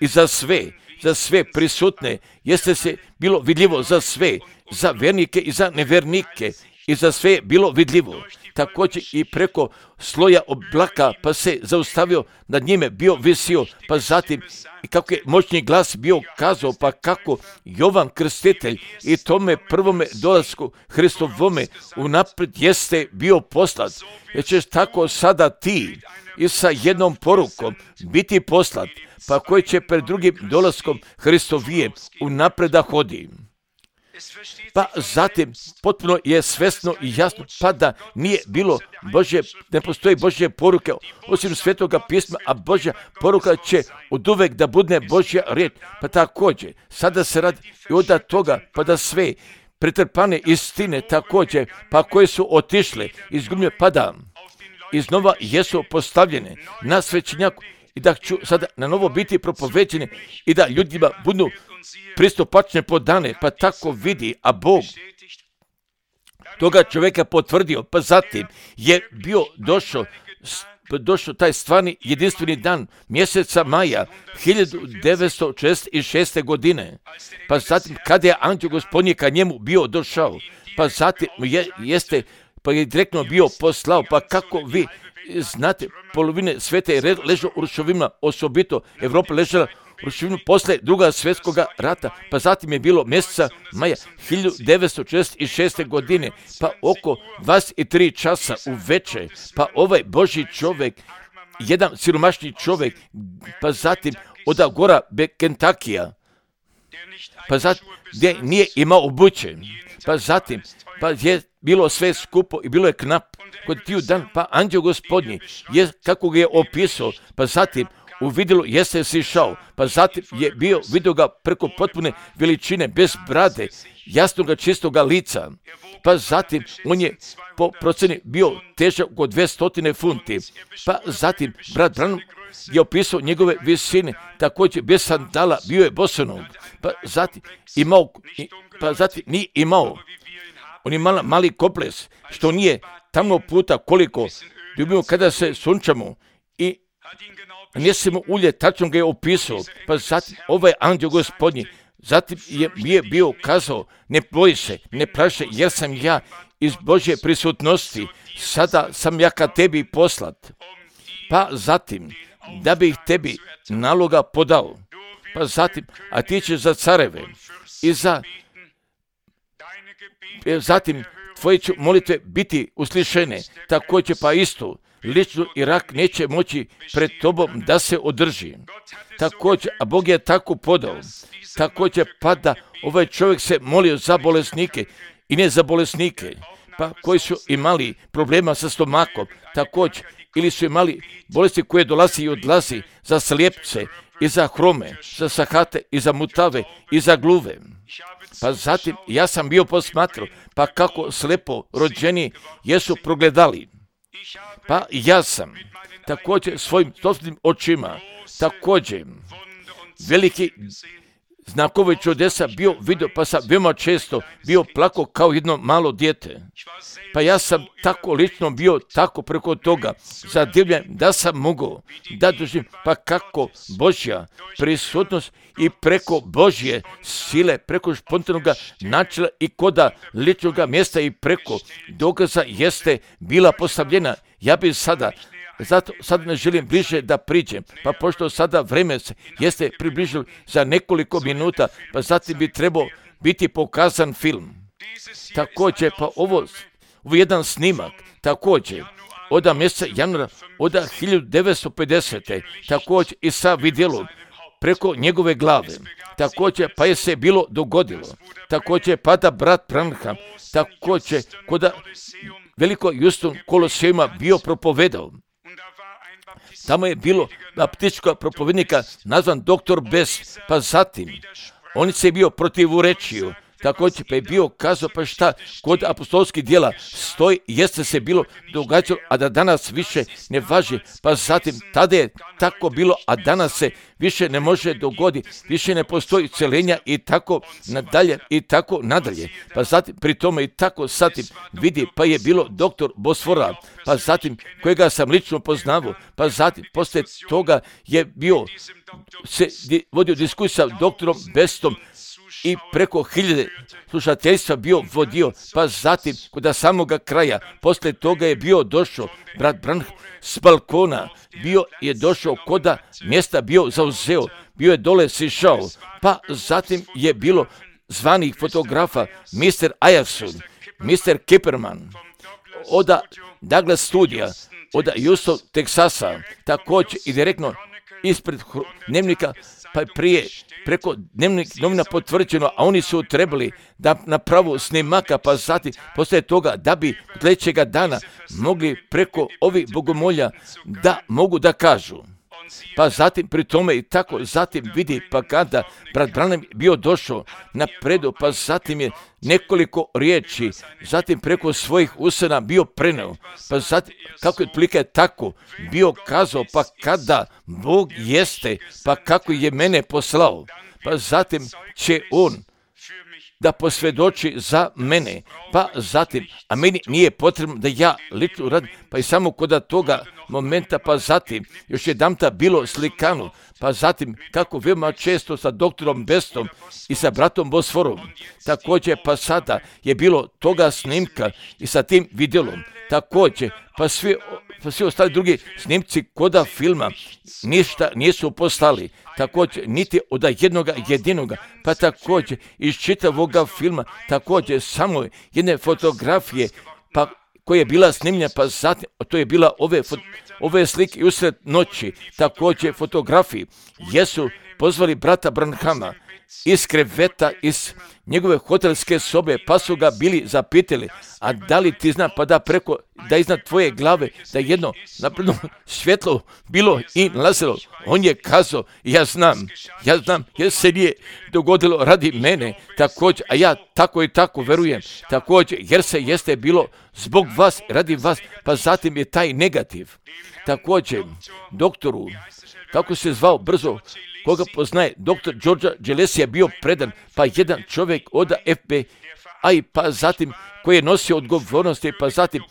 i za sve, za sve prisutne, jeste se bilo vidljivo za sve, za vernike i za nevernike, i za sve je bilo vidljivo. Također i preko sloja oblaka, pa se zaustavio, nad njime bio visio, pa zatim i kako je moćni glas bio kazao, pa kako Jovan Krstitelj i tome prvome dolasku Hristovome unaprijed jeste bio poslat, jer ćeš tako sada ti i sa jednom porukom biti poslat, pa koji će pred drugim dolaskom Hristovije unaprijed da hodi. Pa zatim potpuno je svesno i jasno, pa da nije bilo Božje, ne postoji Božje poruke osim Svetoga pisma, a Božja poruka će oduvek da bude Božja riječ. Pa također, sada se radi i od toga, pa da sve pretrpane istine također, pa koje su otišle, izgubljene, pa da iznova jesu postavljene na svećenjaku i da ću sada na novo biti propoveđene i da ljudima budu pristupačne podane, pa tako vidi, a Bog toga čovjeka potvrdio, pa zatim je bio došao, došao taj stvarni jedinstveni dan mjeseca maja hiljadu devetsto četrdeset šeste. godine, pa zatim kada je anđeo Gospodnji ka njemu bio došao, pa zatim je, jeste, pa je direktno bio poslao, pa kako vi znate, polovine svete ležu u rušovinama, osobito Evropa ležala ruševinu posle druga svjetskog rata, pa zatim je bilo mjeseca maja hiljadu devetsto četrdeset šeste. godine, pa oko dvadeset tri časa u večer, pa ovaj Božji čovjek, jedan siromašni čovjek, pa zatim od Gora Kentakija, pa zatim gdje nije imao obuće, pa zatim pa je bilo sve skupo i bilo je knap kod tiju dan, pa anđeo Gospodnji je kako ga je opisao, pa zatim u vidilu jeste sišao, pa zatim je bio, vidio ga preko potpune veličine, bez brade, jasnoga čistoga lica, pa zatim on je po proceni bio težak oko dvjesto funti, pa zatim brat Branham je opisao njegove visine, također bez sandala, bio je bosonog, pa zatim imao, pa zatim nije imao, on je mala, mali koples, što nije tamo puta koliko ljubimo kada se sunčamo i nesemo ulje, tačno ga je opisao, pa zatim ovaj anđeo Gospodnji, zatim je, je bio kazao, ne boj se, ne plaši, jer sam ja iz Božje prisutnosti, sada sam ja ka tebi poslat, pa zatim da bih tebi naloga podao, pa zatim, a ti ćeš za careve i za, zatim tvoje će molitve biti uslišene, također pa isto, lično i rak neće moći pred tobom da se održi. Također, a Bog je tako podao, također pa da ovaj čovjek se molio za bolesnike i ne za bolesnike, pa koji su imali problema sa stomakom, također, ili su imali bolesti koje dolazi i odlazi, za slijepce i za hrome, za sahate i za mutave i za gluve. Pa zatim ja sam bio posmatrao, pa kako slepo rođeni jesu progledali. Pa ja sam također svojim sobstvenim očima, također veliki znakove čudesa bio vidio, pa sam veoma često bio plako kao jedno malo dijete. Pa ja sam tako lično bio tako preko toga zadivljen da sam mogao da doživim, pa kako Božja prisutnost i preko Božje sile, preko spontanog načela i koda ličnog mjesta i preko dogaza jeste bila postavljena. Ja bih sada, zato sad ne želim bliže da priđem, pa pošto sada vreme se jeste približilo za nekoliko minuta, pa zatim bi trebao biti pokazan film. Također, pa ovo, ovo jedan snimak, također, od mjeseca januara, od hiljadu devetsto pedesete. također i sa vidjelom preko njegove glave. Također, pa je se bilo dogodilo. Također, pa da brat Branham, također, koda veliko Houston Kolosejuma bio propovedao. Tamo je bilo baptističkog propovednika nazvan doktor Best, pa zatim on se je bio protivurečio, također pa je bio kazao pa šta kod apostolskih djela stoji, jeste se bilo događalo, a da danas više ne važi, pa zatim tada je tako bilo, a danas se više ne može dogoditi, više ne postoji celenja i tako nadalje i tako nadalje, pa zatim pri tome i tako zatim vidi, pa je bilo doktor Bosfora, pa zatim kojega sam lično poznavao, pa zatim poslije toga je bio se vodio diskusija s doktorom Bestom i preko hiljade slušateljstva bio vodio, pa zatim kod samoga kraja, poslije toga je bio došao brat Branham s balkona, bio je došao koda mjesta bio zauzeo, bio je dole sišao, pa zatim je bilo zvanih fotografa, mister Ayerson, mister Kipperman, od Douglas studija, od Houston, Teksasa, također i direktno ispred dnevnika, pa prije preko dnevnih novina potvrđeno, a oni su trebali da napravu snimaka, pa zatim poslije toga da bi sljedećega dana mogli preko ovih bogomolja da mogu da kažu. Pa zatim pri tome i tako zatim vidi, pa kada brat Branham bio došao napredu, pa zatim je nekoliko riječi, zatim preko svojih usana bio preneo, pa zatim kako je otprilike tako bio kazao, pa kada Bog jeste, pa kako je mene poslao, pa zatim će on da posvjedoči za mene, pa zatim, a meni nije potrebno da ja lično radim, pa i samo kod toga momenta, pa zatim, još jedamta bilo slikano, pa zatim, kako veoma često sa doktorom Bestom i sa bratom Bosforom, također, pa sada je bilo toga snimka i sa tim vidjelom, također, pa svi, pa svi ostali drugi snimci koda filma ništa nisu postali, također niti od jednoga jedinoga, pa također iz čitavoga filma, također samo jedne fotografije, pa koja je bila snimljena, pa zatim, to je bila ove, ove slike usred noći, također fotografiji, jesu pozvali brata Branhama iz kreveta, iz njegove hotelske sobe, pa su ga bili zapitali, a da li ti zna, pa da preko, da iznad tvoje glave, da jedno napredno svjetlo bilo i nalazilo. On je kazao, ja znam, ja znam, jer se nije dogodilo radi mene, također, a ja tako i tako verujem, također, jer se jeste bilo zbog vas, radi vas, pa zatim je taj negativ. Također, doktoru, kako se zvao brzo, koga poznaje, doktor George Gillespie je bio predan, pa jedan čovjek od F B I, pa zatim koji je nosio odgovornosti, pa zatim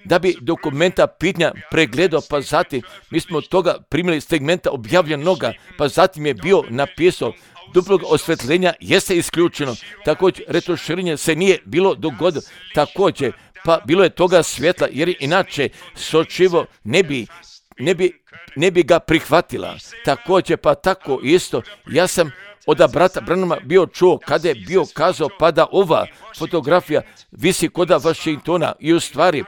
da bi dokumenta pitanja pregledao, pa zatim mi smo toga primili segmenta objavljenoga, pa zatim je bio napisao duplog osvetljenja jeste isključeno, također retuširanje se nije bilo dogodilo, također pa bilo je toga svjetla, jer inače sočivo ne bi ne bi, ne bi ga prihvatila. Također pa tako isto, ja sam od brata Branhama bio čuo kada je bio kazao pa da ova fotografija visi koda Washingtona i u stvari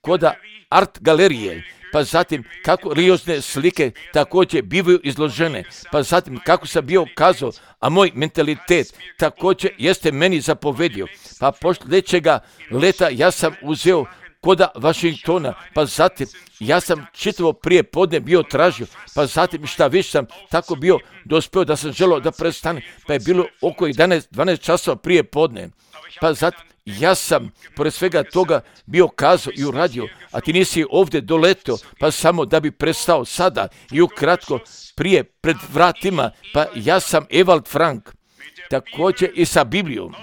koda art galerije, pa zatim kako religiozne slike također bivaju izložene, pa zatim kako sam bio kazao, a moj mentalitet također jeste meni zapovedio, pa posljedećega leta ja sam uzeo koda Washingtona, pa zatim ja sam čitavo prije podne bio tražio, pa zatim šta više sam tako bio dospio da sam želio da prestane, pa je bilo oko jedanaest dvanaest časova prije podne, pa zatim ja sam pored svega toga bio kazao i uradio, a ti nisi ovdje doletio, pa samo da bi prestao sada i ukratko prije pred vratima, pa ja sam Ewald Frank, također i sa Biblijom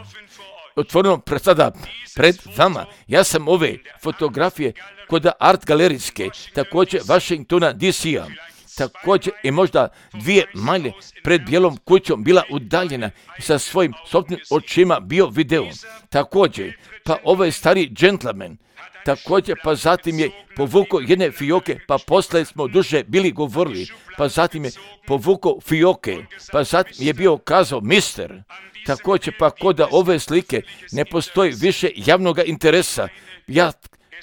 otvoreno pred sada pred vama. Ja sam ove fotografije kod art galerijske, također Washingtona D C-a, također i možda dvije malje pred bijelom kućom bila udaljena i sa svojim sobstvenim očima bio video. Također, pa ovaj stari džentlmen, također pa zatim je povukao jedne fioke, pa posle smo duže bili govorili, pa zatim je povukao fioke, pa zatim je bio kazao mister. Također pa kod ove slike ne postoji više javnog interesa. Ja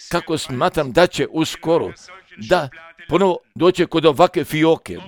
kako smatram da će uskoro da ponovo doće kod ovakve fioke.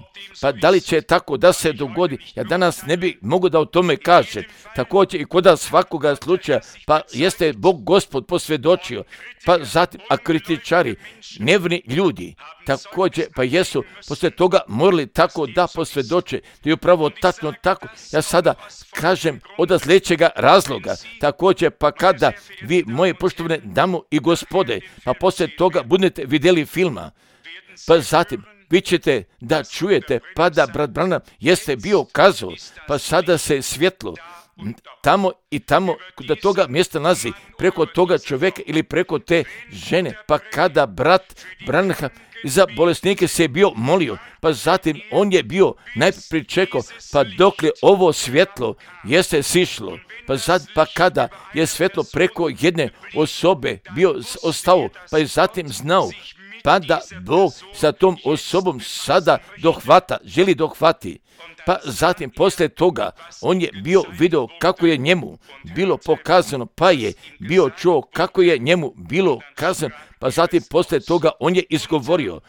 Pa da li će tako da se dogodi? Ja danas ne bi mogu da o tome kažem. Također i kod svakoga slučaja, pa jeste Bog Gospod posvjedočio. Pa zatim, a kritičari, nevni ljudi, također pa jesu poslije toga morali tako da posvjedoče. To je upravo tačno tako. Ja sada kažem od sljedećega razloga. Također pa kada vi, moje poštovane dame i gospode, pa poslije toga budete vidjeli filma, pa zatim vi ćete da čujete, pa da brat Branham jeste bio kazao, pa sada se svjetlo tamo i tamo da toga mjesta nalazi, preko toga čovjeka ili preko te žene, pa kada brat Branham za bolesnike se je bio molio, pa zatim on je bio najprije čekao, pa dok li ovo svjetlo jeste sišlo, pa sad pa kada je svjetlo preko jedne osobe bio ostao, pa je zatim znao, pa da Bog sa tom osobom sada dohvata, želi dohvati. Pa zatim poslije toga on je bio video kako je njemu bilo pokazano, pa je bio čuo kako je njemu bilo kazano, pa zatim poslije toga on je izgovorio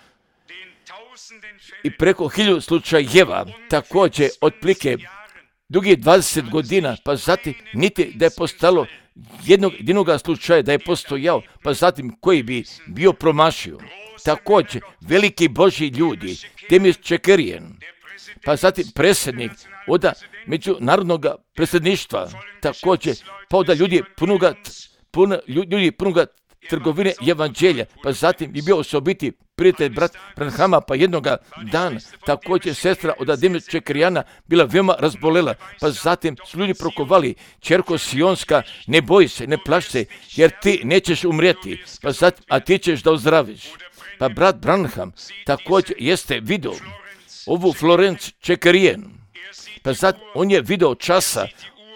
i preko hiljadu slučajeva, također otplike dugih dvadeset godina, pa zatim niti da je postalo jednog jedinog slučaja da je postojao, pa zatim koji bi bio promašio. Također, veliki Božji ljudi, Demis Čekerijen, pa zatim predsjednik od međunarodnog predsjedništva, također, pa od ljudi punoga, puno, ljudi punoga trgovine evanđelja, pa zatim je bio osobiti prijatelj brat Branhama, pa jednoga dana također sestra od Ademir Čekrijana bila veoma razbolela, pa zatim su ljudi prokovali, ćerko Sionska, ne boji se, ne plaši se, jer ti nećeš umrijeti, pa zatim, a ti ćeš da ozdraviš. Pa brat Branham također jeste vidio ovu Florence Čekrijen, pa zatim on je video časa,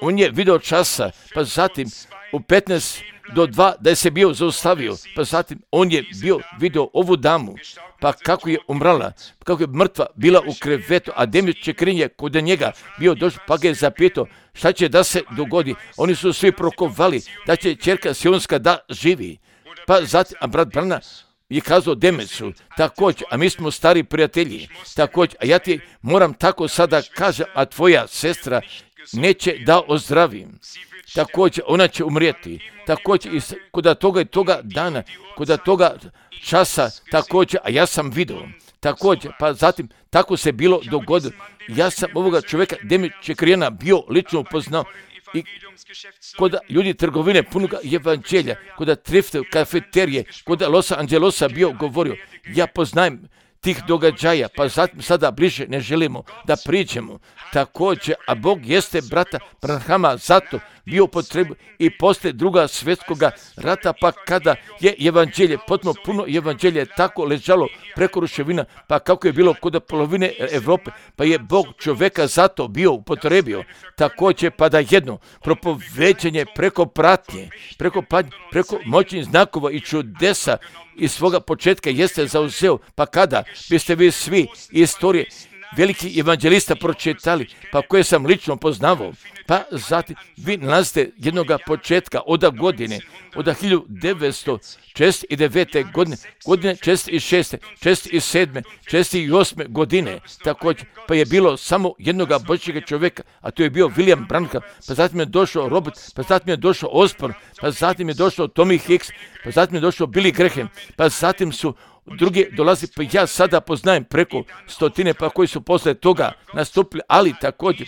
on je video časa, pa zatim u petnaest do dva da je se bio zaustavio, pa zatim on je bio vidio ovu damu, pa kako je umrala, kako je mrtva bila u krevetu, a Demir Čekrin je kod njega bio došao, pa ga je zapitao šta će da se dogodi. Oni su svi prokovali da će ćerka Sionska da živi, pa zatim, a brat Brana je kazao Demesu, također, a mi smo stari prijatelji, također, a ja ti moram tako sada kažem, a tvoja sestra neće da ozdravim. Također, ona će umrijeti. Također, i kod toga i toga dana, kod toga časa, također, a ja sam vidio. Također, pa zatim, tako se bilo dogodilo. Ja sam ovoga čovjeka, Demir Čekrijana, bio lično upoznao i kod ljudi trgovine punoga evanđelja, kod trifte, kafeterije, kod Los Angelosa bio govorio, ja poznajem tih događaja, pa zatim sada bliže ne želimo da priđemo. Također, a Bog jeste brata Branhama zato bio u potrebu i poslije druga svjetskoga rata, pa kada je evanđelje, potpuno puno evanđelje tako ležalo preko ruševina, pa kako je bilo kod polovine Evrope, pa je Bog čovjeka zato bio upotrebio. Također, pa da jedno propoveđenje preko pratnje, preko pratnje, preko moćnih znakova i čudesa iz svoga početka jeste zauzeo, pa kada biste vi svi istorije veliki evanđelista pročitali, pa koje sam lično poznavao, pa zatim vi nalazite jednoga početka od godine, od hiljadu devetsto šezdeset devete. godine, godine šezdeset šeste, šezdeset sedme, šezdeset osme. godine, također, pa je bilo samo jednoga Božjega čovjeka, a to je bio William Branham, pa zatim je došao Robert, pa zatim je došao Osborne, pa zatim je došao Tommy Hicks, pa zatim je došao Billy Graham, pa zatim su drugi dolazi, pa ja sada poznajem preko stotine, pa koji su posle toga nastupili, ali također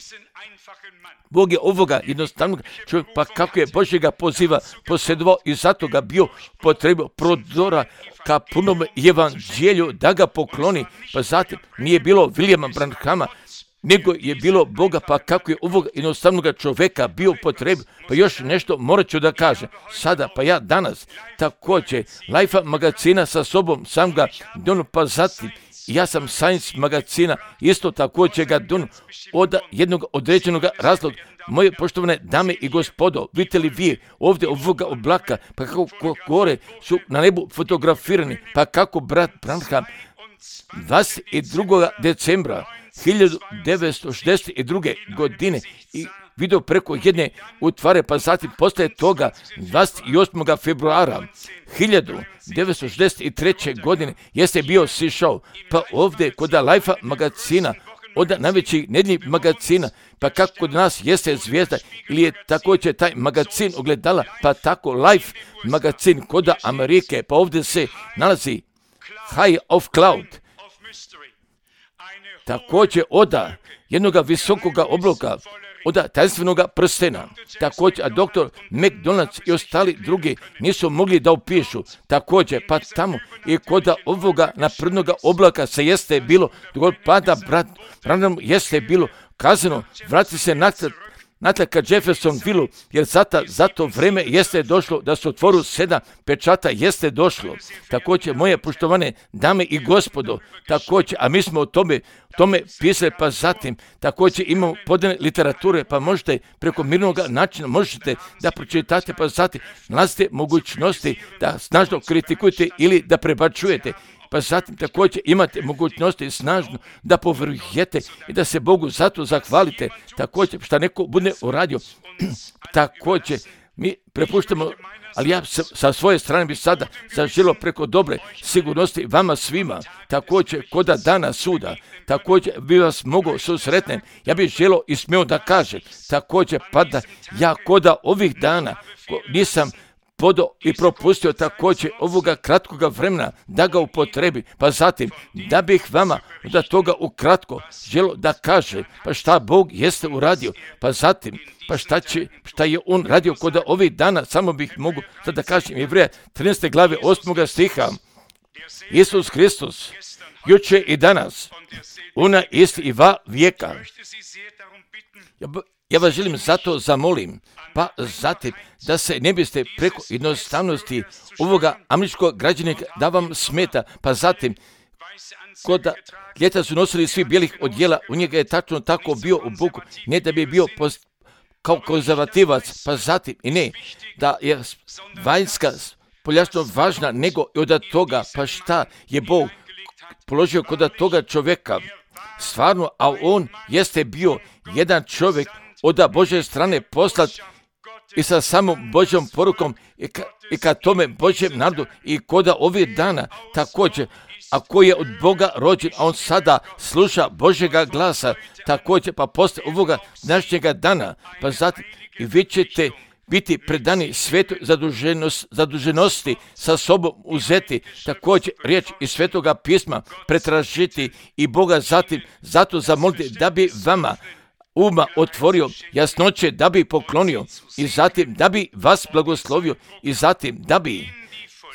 Bog je ovoga jednostavnog čovjeka, pa kako je Božjega poziva posjedovao i zato ga bio potrebio prodora ka punom evanđelju da ga pokloni, pa zatim nije bilo Williama Branhama, nego je bilo Boga, pa kako je ovog jednostavnog čovjeka bio potrebio. Pa još nešto morat ću da kažem sada, pa ja danas također Life magazina sa sobom sam ga dono, pa zatim ja sam Science magazina isto također ga dono od jednog određenog razloga. Moje poštovane dame i gospodo, vidite li vi ovdje ovoga oblaka, pa kako gore su na nebu fotografirani, pa kako brat Branham dvadeset drugog decembra hiljadu devetsto šezdeset druge. godine i video preko jedne utvare, pa zatim poslije toga dvadeset osmog februara hiljadu devetsto šezdeset treće. godine jeste bio sišao, pa ovdje kod Life magazina, od najvećih nedjeljnih magazina, pa kako kod nas jeste zvijezda, ili je također taj magazin ogledala, pa tako Life magazin kod Amerike, pa ovdje se nalazi High of Cloud, također oda jednoga visokoga obloka, od tajnstvenog prstena, također, a doktor McDonald's i ostali drugi nisu mogli da upišu, također, pa tamo i kod ovoga naprednoga oblaka se jeste bilo, dogod pada brat, Branham jeste bilo kazano, vrati se natrag, natrag ka Jeffersonville, jer zata, zato vreme jeste došlo da se otvoru sedam pečata jeste došlo. Također, moje poštovane dame i gospodo, također, a mi smo o tome, tome pisali, pa zatim, također imamo podane literature, pa možete preko mirnog načina, možete da pročitate, pa zatim, nalazite mogućnosti da snažno kritikujete ili da prebačujete. Pa zatim također imate mogućnosti snažno da povrujete i da se Bogu zato zahvalite. Također što neko bude uradio, također mi prepuštamo, ali ja sa svoje strane bi sada zaželio preko dobre sigurnosti vama svima, također koda dana suda, također bi vas mogao susretnem, ja bih želio i smio da kažem, također pa da ja koda ovih dana nisam podo i propustio također ovoga kratkoga vremena da ga upotrebi, pa zatim da bih vama da toga ukratko želo da kaže, pa šta Bog jeste uradio, pa zatim pa šta, će, šta je on radio kod ovih dana, samo bih mogu sad da kažem Jevreja trinaeste glave osmog stiha. Isus Hristos, juče i danas, ona isti i va vijeka. Ja, ja vas želim zato zamolim, pa zatim da se ne biste preko jednostavnosti ovoga američkog građanika da vam smeta, pa zatim kod ljeta su nosili svi bijelih odjela, u njega je tačno tako bio u buku, ne da bi bio post, kao konzervativac, pa zatim i ne, da je vanjska poljašno važna, nego i od toga, pa šta je Bog položio kod toga čovjeka, stvarno, a on jeste bio jedan čovjek od Božje strane poslat i sa samom Božjom porukom i ka, i ka tome Božjem narodu i kod ovih dana također, a koji je od Boga rođen, a on sada sluša Božjega glasa, također pa posle ovoga današnjega dana, pa zatim i vi ćete biti predani svetoj zaduženost, zaduženosti sa sobom uzeti, također riječ iz svetoga pisma pretražiti i Boga zatim zato zamoliti da bi vama uma otvorio, jasnoće da bi poklonio i zatim da bi vas blagoslovio i zatim da bi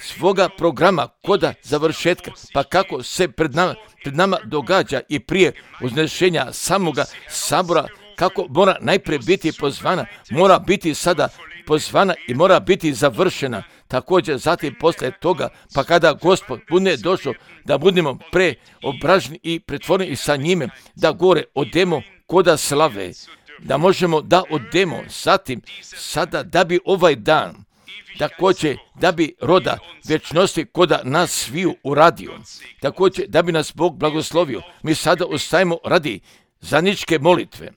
svoga programa koda završetka, pa kako se pred nama, pred nama događa i prije uznešenja samoga sabora, kako mora najprije biti pozvana, mora biti sada pozvana i mora biti završena. Također zatim posle toga, pa kada Gospod bude došao, da budemo preobraženi i pretvoreni sa njime, da gore odemo koda slave, da možemo da odemo zatim sada da bi ovaj dan također da bi roda vječnosti koda nas sviju uradio, također da bi nas Bog blagoslovio. Mi sada ostajemo radi zajedničke molitve.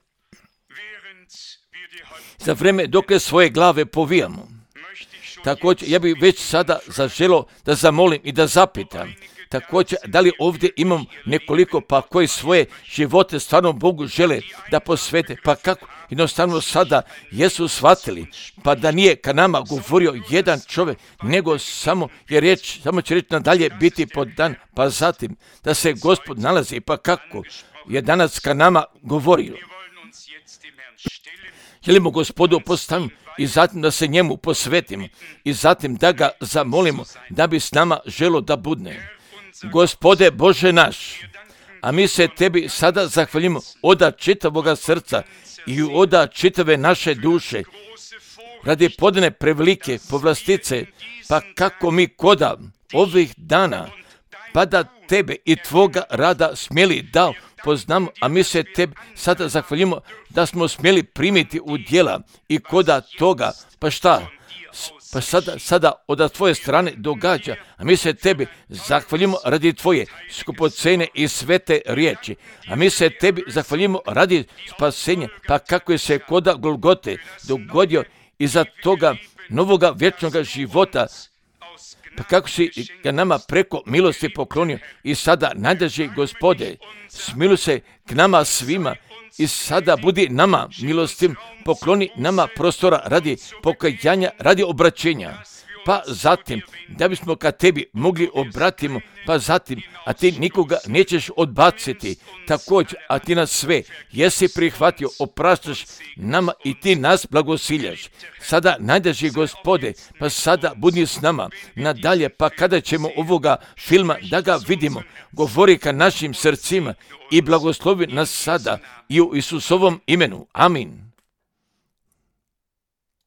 Za vreme dokle svoje glave povijamo. Također, ja bih već sada zaželo da zamolim i da zapitam. Također, da li ovdje imam nekoliko pa koji svoje živote stvarno Bogu žele da posvete, pa kako jednostavno sada jesu shvatili, pa da nije ka nama govorio jedan čovjek, nego samo je riječ, samo će reći nadalje biti podan, pa zatim da se Gospod nalazi, pa kako je danas ka nama govorio. Želimo Gospodu postaviti i zatim da se njemu posvetimo i zatim da ga zamolimo da bi s nama želo da budne. Gospode Bože naš, a mi se tebi sada zahvaljimo oda čitavoga srca i oda čitave naše duše radi podane prevelike povlastice, pa kako mi koda ovih dana pa da tebe i tvoga rada smjeli da poznamo, a mi se tebi sada zahvaljimo da smo smjeli primiti u djela i koda toga, pa šta? Pa sada, sada od tvoje strane događa, a mi se tebi zahvaljimo radi tvoje skupocene i svete riječi, a mi se tebi zahvaljimo radi spasenja, pa kako je se koda Golgote dogodio iza toga novoga vječnoga života, pa kako si ga nama preko milosti poklonio i sada najdraži Gospode, smiluj se k nama svima i sada budi nama milostim, pokloni nama prostora radi pokajanja, radi obraćenja, pa zatim da bismo ka tebi mogli obratimo, pa zatim, a ti nikoga nećeš odbaciti, također, a ti nas sve jesi prihvatio, opraštaš nama i ti nas blagosiljaš. Sada najdraži Gospode, pa sada budi s nama nadalje, pa kada ćemo ovoga filma da ga vidimo, govori ka našim srcima i blagoslovi nas sada i u Isusovom imenu. Amin.